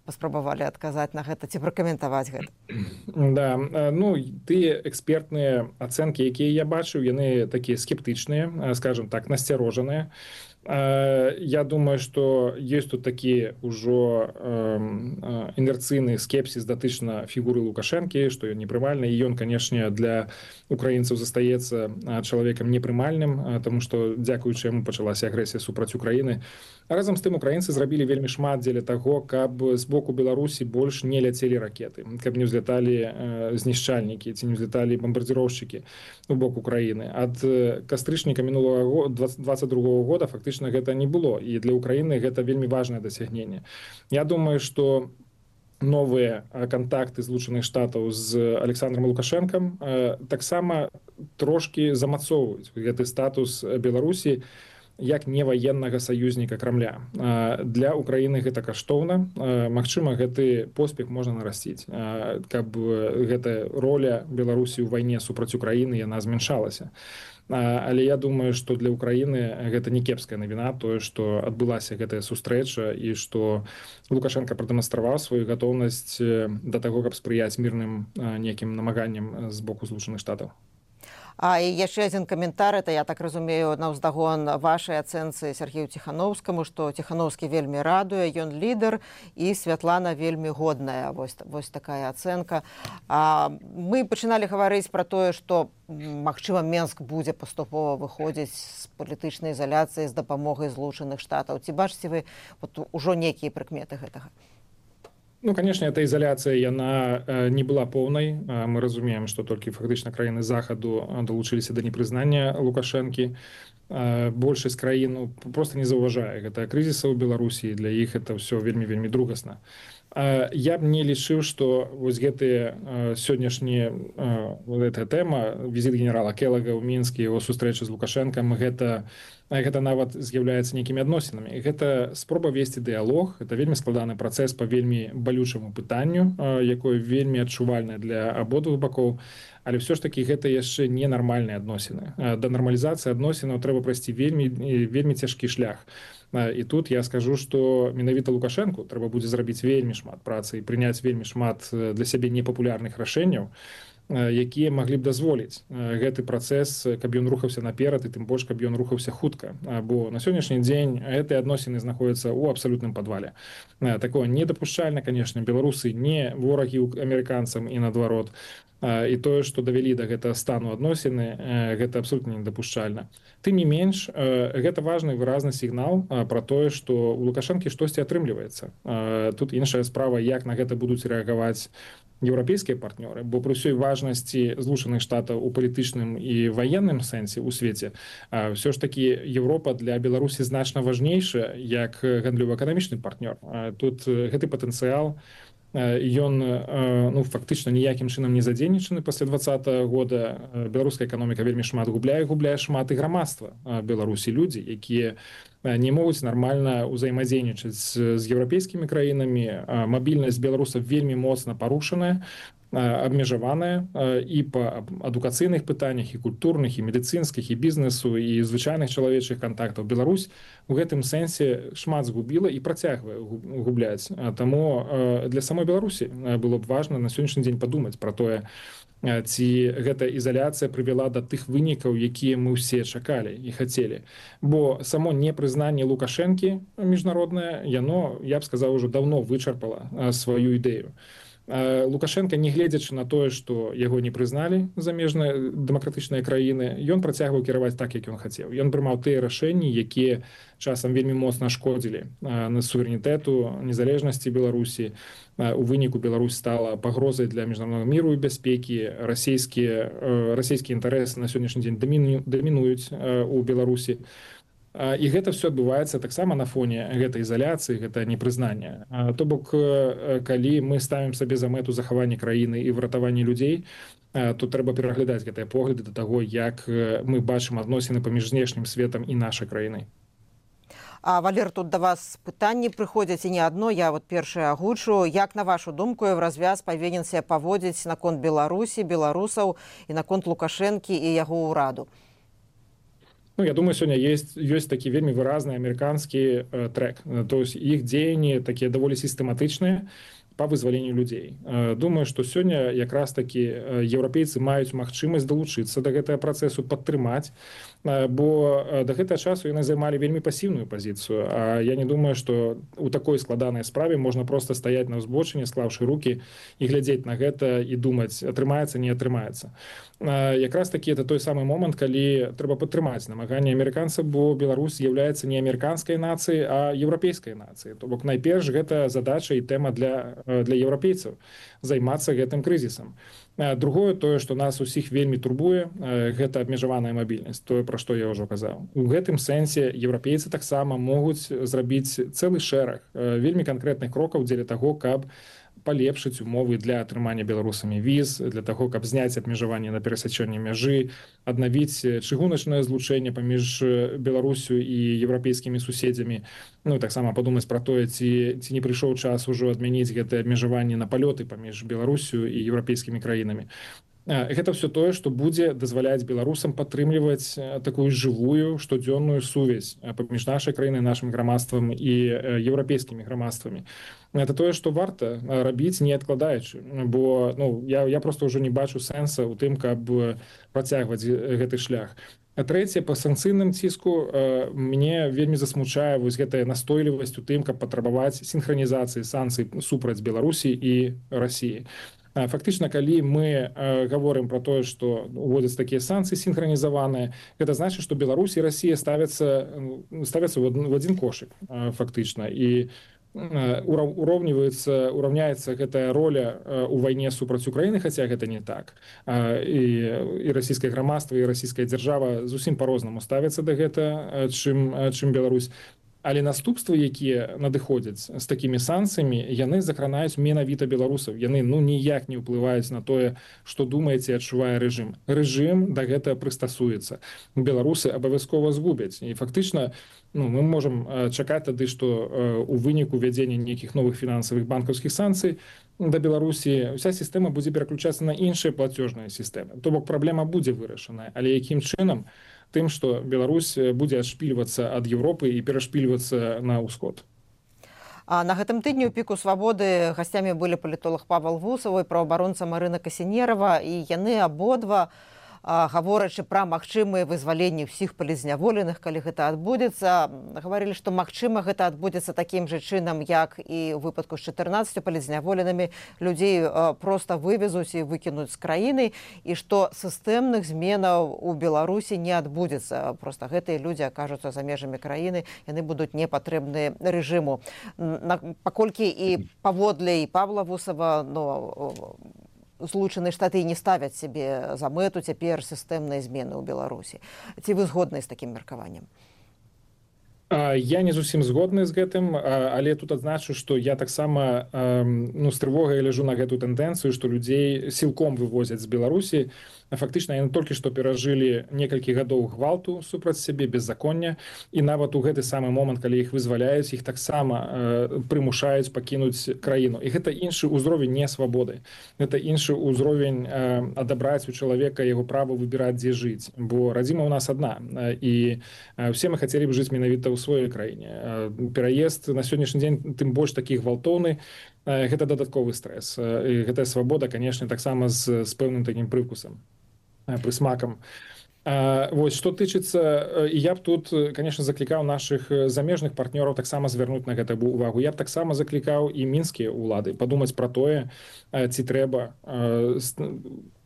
паспрабавалі адказаць на гэта ці пракаментаваць гэта? Да, ну тыя экспертныя ацэнкі, якія я бачыў, яны такія скептычныя, скажем так, насцярожаныя. Я думаю, што ёсць тут такі ўжо інерцыйны скепсіс датычна фігуры Лукашэнкі, што ён непрымальны, і ён, канешне, для украінцаў застаецца чалавекам непрымальным, таму што дзякуючы яму пачалася агрэсія супраць Украіны. Разам з тым украінцы зрабілі вельмі шмат дзеля таго, каб з боку Беларусі больш не ляцелі ракеты, каб не ўзляталі знішчальнікі ці не ўзляталі бамбардзіроўшчыкі у бок Украіны. Ад кастрычніка мінулага 22-го года фактычна гэта не было, і для Украіны гэта вельмі важнае дасягненне. Я думаю, што новыя кантакты Злучаных Штатаў з Александром Лукашэнкам таксама трошкі замацоўваюць гэты статус Беларусі як неваеннага саюзніка Крамля. Для Украіны гэта каштоўна. Магчыма, гэты поспех можна нарасціць, каб гэтая роля Беларусі ў вайне супраць Украіны яна змяншалася. Але я думаю, што для Украіны гэта не кепская навіна, тое, што адбылася гэтая сустрэча і што Лукашенко прадэманстраваў сваю гатоўнасць да таго, каб спрыяць мірным нейкім намаганням з боку Злучаных Штатаў. І яшчэ адзін каментар, это, я так разумею, на ўздагон вашай ацэнцы Сергею Ціхановскаму, што Ціхановскі вельмі радуе, ён лідар, і Святлана вельмі годная. Вось такая ацэнка. Мы пачыналі гаварыць пра тое, што, магчыма, Менск будзе паступова выходзіць з палітычнай ізаляцыі з дапамогай Злучаных Штатаў. Ці бачыце вы ужо нейкія прыкметы гэтага? Ну, конечно, эта изоляция, яна не была полной. Мы разумеем, что только фактично краины Захаду долучились до непризнания Лукашенки. Большасць краін просто не заўважае гэта крызіса ў Беларусі, для іх это все вельмі другасна. Я б не лічыў, што вось гэтыя сённяшнія гэтая тэма, візіт генерала Келага ў Мінскі, яго сустрэча з Лукашэнкам, гэта нават з'яўляецца нейкімі адносінамі. Гэта спроба весці дыялог, гэта вельмі складаны працэс па вельмі балючаму пытанню, якое вельмі адчувальнае для абодвух бакоў, але ўсё ж такі гэта яшчэ не нармальныя адносіны. Да нармалізацыі адносінаў трэба прайсці вельмі цяжкі шлях. І тут я скажу, што менавіта Лукашэнку трэба будзе зрабіць вельмі шмат працы і прыняць вельмі шмат для сябе непапулярных рашэнняў, якія маглі б дазволіць гэты працэс, каб ён рухаўся наперад і тым больш, каб ён рухаўся хутка. Бо на сённяшні дзень гэтыя адносіны знаходзяцца ў абсалютным падвале. Такое недапушчальна, канешне, беларусы не ворагі амерыканцам і наадварот. І тое, што давялі да гэтага стану адносіны, гэта абсалютна недапушчальна. Тым не менш, гэта важны выразны сігнал пра тое, што ў Лукашэнкі штосьці атрымліваецца. Тут іншая справа, як на гэта будуць рэагаваць еўрапейскія партнёры, бо пры ўсёй важнасці Злучаных Штатаў у палітычным і ваенным сэнсе ў свеце, ўсё ж такі Еўропа для Беларусі значна важнейшая як гандлёва-эканамічны партнёр. Тут гэты патэнцыял, ён фактычна ніякім чынам не задзейнічаны пасля 2020 года. Беларуская эканоміка вельмі шмат губляе шмат і грамадства Беларусі, людзі, якія не могуць нармальна ўзаемадзейнічаць з еўрапейскімі краінамі. Мабільнасць беларусаў вельмі моцна парушаная, абмежаваная і па адукацыйных пытаннях, і культурных, і медыцынскіх, і бізнесу, і звычайных чалавечых кантактаў. Беларусь у гэтым сэнсе шмат згубіла і працягвае губляць. Таму для самой Беларусі было б важна на сённяшні дзень падумаць пра тое, ці гэта ізаляцыя прывяла да тых вынікаў, якія мы ўсе чакалі і хацелі. Бо само непрызнанне Лукашэнкі міжнароднае, яно, я б сказаў, ужо даўно вычарпала сваю ідэю. Лукашенко, не гледзячы на тое, што яго не прызналі замежныя дэмакратычныя краіны, ён працягваў кіраваць так, як ён хацеў. Ён прымаў тыя рашэнні, якія часам вельмі моцна шкодзілі на суверэнітэту, незалежнасці Беларусі. У выніку Беларусь стала пагрозай для міжнароднага міру і бяспекі. Расійскія інтарэсы на сённяшні дзень дамінуюць у Беларусі. І гэта все адбываецца таксама на фоне гэтай ізаляцыі, гэта непрызнання. То бок, калі мы ставім сабе за мэту захаванне краіны і выратаванне людзей, то трэба пераглядаць гэтыя погляды да таго, як мы бачым адносіны паміж знешнім светам і нашай краінай. Валер, тут да вас пытанні прыходзяць і не адно. Я першае агучу. Як, на вашу думку, Еўразвяз павінен себя паводзіць наконт Беларусі, беларусаў і наконт Лукашэнкі і яго ўраду? Я думаю, сёння ёсць такі вельмі выразны амерыканскі трэк. То есть іх дзеянні такія даволі сістэматычныя па вызваленню людзей. Думаю, што сёння якраз такі еўрапейцы маюць магчымасць далучыцца да гэтага працэсу, падтрымаць, бо да гэтага часу яны займалі вельмі пасіўную пазіцыю. А я не думаю, што ў такой складанай справе можна проста стаяць на ўзбочыне, склаўшы рукі і глядзець на гэта і думаць, атрымаецца, не атрымаецца. Якраз такі это той самы момант, калі трэба падтрымаць намаганне амерыканцаў, бо Беларусь з'яўляецца не амерыканскай нацыяй, а еўрапейскай нацыяй. То бок найперш гэта задача і тэма для еўрапейцаў займацца гэтым крызісам. Другое, тое, што нас усіх вельмі турбуе, гэта абмежаваная мабільнасць, тое, пра што я ўжо казаў. У гэтым сэнсе еўрапейцы таксама могуць зрабіць цэлы шэраг вельмі канкрэтных крокаў дзеля таго, каб палепшыць умовы для атрымання беларусамі віз, для таго, каб зняць абмежаванне на перасячэнне мяжы, аднавіць чыгуначнае злучэнне паміж Беларусю і еўрапейскімі суседзямі. Таксама падумаць пра тое, ці не прыйшоў час ужо адмяніць гэтае абмежаванне на палёты паміж Беларусю і еўрапейскімі краінамі. Гэта все тое, што будзе дазваляць беларусам падтрымліваць такую жывую штодзённую сувязь паміж нашай краінай, нашым грамадствам і еўрапейскімі грамадствамі. Это тое, што варта рабіць, не адкладаючы, бо я проста ўжо не бачу сэнса ў тым, каб працягваць гэты шлях. А трэцяе, па санкцыйным ціску мне вельмі засмучае вось гэтая настойлівасць у тым, каб патрабаваць сінхранізацыі санкцый супраць Беларусі і Расіі. Фактычна, калі мы гаворым пра тое, што уводзяць такія санкцыі сінхранізаваныя, гэта значыць, што Беларусь і Расія ставяцца ў адзін кошык фактычна. І ураўняецца гэтая роля ў вайне супраць Украіны, хаця гэта не так. І расійскае грамадства, і расійская дзяржава зусім па-рознаму ставяцца да гэта, чым Беларусь. Але наступствы, якія надыходзяць з такімі санкцыямі, яны закранаюць менавіта беларусаў. Яны ніяк не ўплываюць на тое, што думаеце і адчувае рэжым. Рэжым да гэтага прыстасуецца. Беларусы абавязкова згубяць. І фактычна мы можам чакаць тады, што у выніку вядзення нейкіх новых фінансавых банкаўскіх санкцый да Беларусі ўся сістэма будзе пераключацца на іншыя плацёжныя сістэмы. То бок праблема будзе вырашаная. Але якім чынам? Тым, што Беларусь будзе адшпільвацца ад Европы і перашпільвацца на ўсход. А на гэтым тыдні ў піку свабоды гасцямі былі палітолог Павел Вусаў і праваабаронца Марына Касінерава, і яны абодва, гаворачы пра магчымыя вызваленні ўсіх палізняволеных, калі гэта адбудзецца, гаварылі, што магчыма гэта адбудзецца такім жа чынам, як і ў выпадку з 14 палізняволенымі, людзей проста вывезуць і выкінуць з краіны, і што сістэмных зменаў у Беларусі не адбудзецца. Проста гэтыя людзі акажуцца за межамі краіны, яны будуць непатрэбныя рэжыму. Паколькі і паводле і Павла Вусава, Злучаныя Штаты не ставяць сябе за мэту цяпер сістэмныя змены ў Беларусі. Ці вы згодны з такім меркаваннем? Я не зусім згодны з гэтым, але тут адзначу, што я таксама з трывогай ляжу на гэту тэндэнцыю, што людзей сілком вывозяць з Беларусі. Фактычна яны толькі што перажылі некалькі гадоў гвалту супраць сябе, беззаконня, і нават у гэты самы момант, калі іх вызваляюць, іх таксама прымушаюць пакінуць краіну. І гэта іншы ўзровень не свабоды. Гэта іншы ўзровень адабраць у чалавека яго права выбіраць, дзе жыць. Бо радзіма ў нас адна, і ўсе мы хацелі б жыць менавіта ў сваёй краіне. Пераезд на сённяшні дзень, тым больш такі гвалтоўны, гэта дадатковы стрэс. І гэтая свабода, канешне, таксама з пэўным такім прывкусам, прысмакам. Вось, што тычыцца, і я б тут, конечно, заклікаў нашых замежных партнёраў таксама звярнуць на гэта увагу. Я б таксама заклікаў і мінскія ўлады падумаць пра тое, ці трэба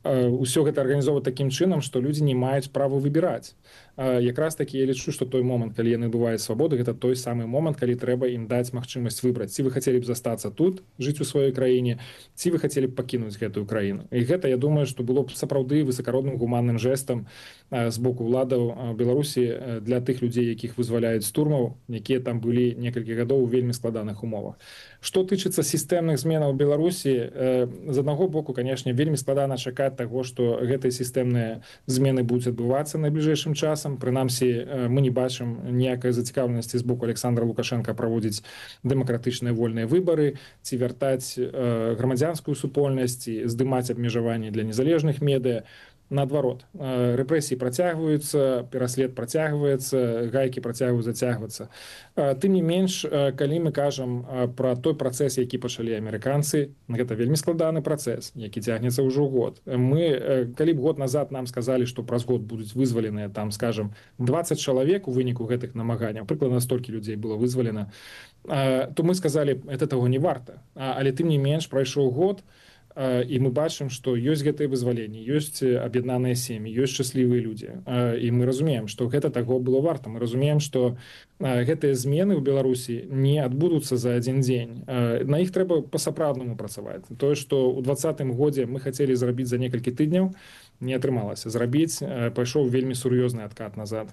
ўсё гэта арганізоўваць такім чынам, што людзі не маюць права выбіраць. Якраз такі я лічу, што той момант, калі яны набываюць свабоду, гэта той самы момант, калі трэба ім даць магчымасць выбраць, ці вы хацелі б застацца тут, жыць у сваёй краіне, ці вы хацелі б пакінуць гэтую краіну. І гэта, я думаю, што было б сапраўды высакародным гуманным жэстам з боку ўладаў Беларусі для тых людзей, якіх вызваляюць з турмаў, якія там былі некалькі гадоў у вельмі складаных умовах. Што тычыцца сістэмных зменаў у Беларусі, з аднаго боку, канешне, вельмі складана чакаць таго, што гэтыя сістэмныя змены будуць адбывацца найбліжэйшым часам. Прынамсі, мы не бачым ніякай зацікаўленасці з боку Александра Лукашенка праводзіць дэмакратычныя вольныя выбары, ці вяртаць грамадзянскую супольнасць, ці здымаць абмежаванні для незалежных медыа. Наадварот, рэпрэсіі працягваюцца, пераслед працягваецца, гайкі працягваюць зацягвацца. Тым не менш, калі мы кажам пра той працэс, які пачалі амерыканцы, гэта вельмі складаны працэс, які цягнецца ўжо год. Мы, калі б год назад нам сказалі, што праз год будуць вызваленыя, там, скажам, 20 чалавек у выніку гэтых намаганняў, прыкладна столькі людзей было вызвалена, то мы сказалі, это таго не варта. Але тым не менш, прайшоў год, і мы бачым, што ёсць гэтыя вызваленні, ёсць аб'яднаныя сем'і, ёсць шчаслівыя людзі. І мы разумеем, што гэта таго было варта. Мы разумеем, што гэтыя змены ў Беларусі не адбудуцца за адзін дзень. На іх трэба па-сапраўднаму працаваць. Тое, што ў 2020 годзе мы хацелі зрабіць за некалькі тыдняў, не атрымалася зрабіць, пайшоў вельмі сур'ёзны адкат назад.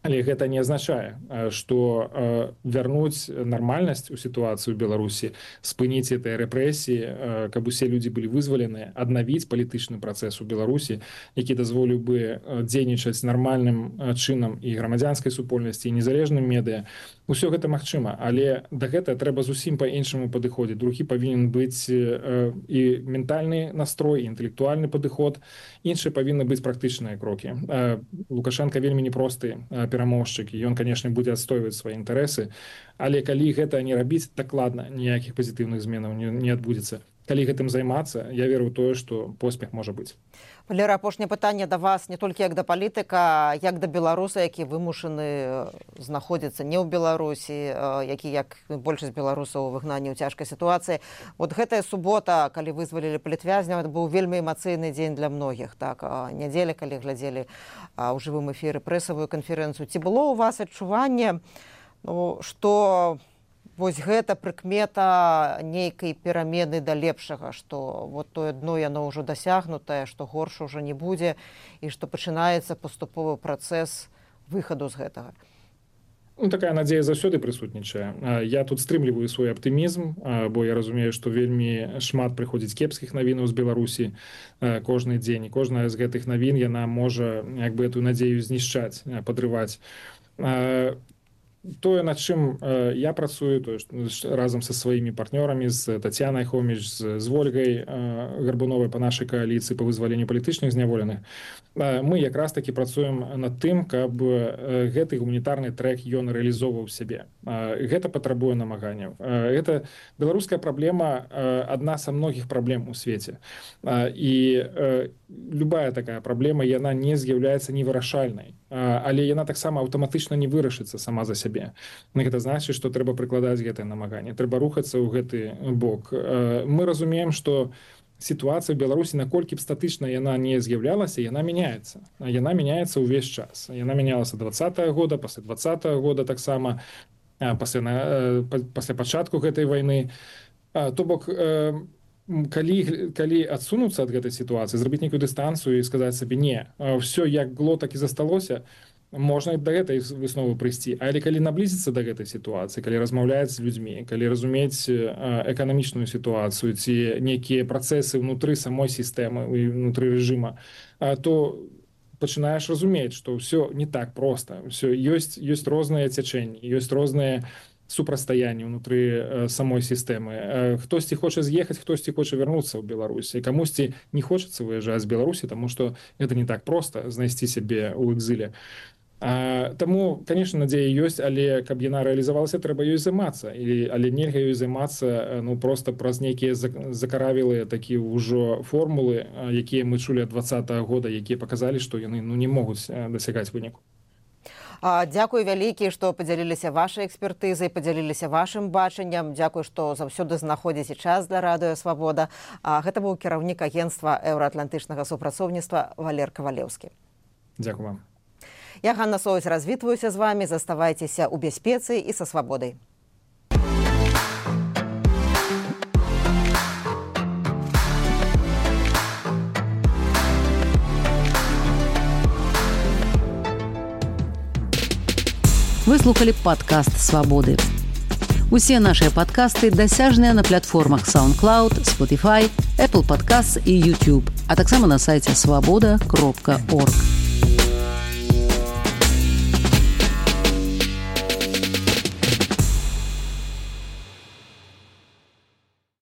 Але гэта не азначае, што вярнуць нармальнасць у сітуацыю ў Беларусі, спыніць гэтыя рэпрэсіі, каб усе людзі былі вызваленыя, аднавіць палітычны працэс у Беларусі, які дазволіў бы дзейнічаць нармальным чынам і грамадзянскай супольнасці, і незалежным медыа. Усё гэта магчыма, але да гэтага трэба зусім па-іншаму падыходзіць. Другі павінен быць і ментальны настрой, і інтэлектуальны падыход. Іншыя павінны быць практычныя крокі. Лукашенко вельмі непросты перамоўшчык, і ён, канешне, будзе адстойваць свае інтарэсы, але калі гэта не рабіць, дакладна ніякіх пазітыўных зменаў не адбудзецца. Калі гэтым займацца, я веру ў тое, што поспех можа быць. Валера, апошняе пытанне да вас не толькі як да палітыка, як да беларуса, які вымушаны знаходзіцца не ў Беларусі, які, як большасць беларусаў, у выгнанні ў цяжкай сітуацыі. Вот гэтая субота, калі вызвалілі палітвязняў, это быў вельмі эмацыйны дзень для многіх. Так, нядзеля, калі глядзелі ў жывым эфіры прэсавую канферэнцыю. Ці было ў вас адчуванне, што вось гэта прыкмета нейкай перамены да лепшага, што вот тое дно яно ўжо дасягнутае, што горш ужо не будзе, і што пачынаецца паступовы працэс выхаду з гэтага? Такая надзея заўсёды прысутнічае. Я тут стрымліваю свой аптымізм, бо я разумею, што вельмі шмат прыходзіць кепскіх навінаў з Беларусі кожны дзень. І кожная з гэтых навін яна можа як бы эту надзею знішчаць, падрываць. тое, над чым я працую, то разам са сваімі партнёрамі, з Тацянай Хоміч, з Вольгай Гарбуновай па нашай кааліцыі па вызваленню палітычных зняволеных, мы якраз такі працуем над тым, каб гэты гуманітарны трэк ён рэалізоўваў сябе. Гэта патрабуе намаганняў. Гэта беларуская праблема адна са многіх праблем у свеце. І любая такая праблема, яна не з'яўляецца невырашальнай, але яна таксама аўтаматычна не вырашыцца сама за сябе. Гэта значыць, што трэба прыкладаць гэтае намаганне, трэба рухацца ў гэты бок. Мы разумеем, што сітуацыя ў Беларусі, наколькі б статычна яна не з'яўлялася, яна мяняецца. Яна мяняецца ўвесь час. Яна мянялася 20-го года, пасля 20-го года таксама, пасля пачатку гэтай вайны. То бок, калі адсунуцца ад гэтай сітуацыі, зрабіць нейкую дыстанцыю і сказаць сабе не, ўсё як было, так і засталося, можна да гэтай высновы прыйсці. Але калі наблізіцца да гэтай сітуацыі, калі размаўляць з людзьмі, калі разумець эканамічную сітуацыю ці нейкія працэсы ўнутры самой сістэмы, ўнутры рэжыма, то пачынаеш разумець, што ўсё не так проста. Ёсць розныя цячэнні, ёсць розныя супрацьстаянні ўнутры самой сістэмы. Хтосьці хоча з'ехаць, хтосьці хоча вярнуцца ў Беларусі. Камусьці не хочацца выязджаць з Беларусі, таму што гэта не так проста знайсці сябе ў экзіле. Таму, конечно, надзея ёсць, але каб яна рэалізавалася, трэба ёй займацца. Але нельга ёй займацца проста праз нейкія закаравілыя такія ўжо формулы, якія мы чулі ад 20-го года, якія паказалі, што яны не могуць дасягаць выніку. Дзякуй вялікі, што падзяліліся вашай экспертызай, падзяліліся вашым бачаннем. Дзякуй, што заўсёды знаходзіце час для радыё «Свабода». Гэта быў кіраўнік агенцтва еўраатлантычнага супрацоўніцтва Валер Кавалеўскі. Дзякуй вам. Я, Ганна Соваць, развітваюся з вамі. Заставайцеся ў бяспецы і са свабодай. Вы слухали падкаст «Свабоды». Усе нашыя падкасты дасяжныя на платформах SoundCloud, Spotify, Apple Podcasts і YouTube, а таксама на сайце swaboda.org.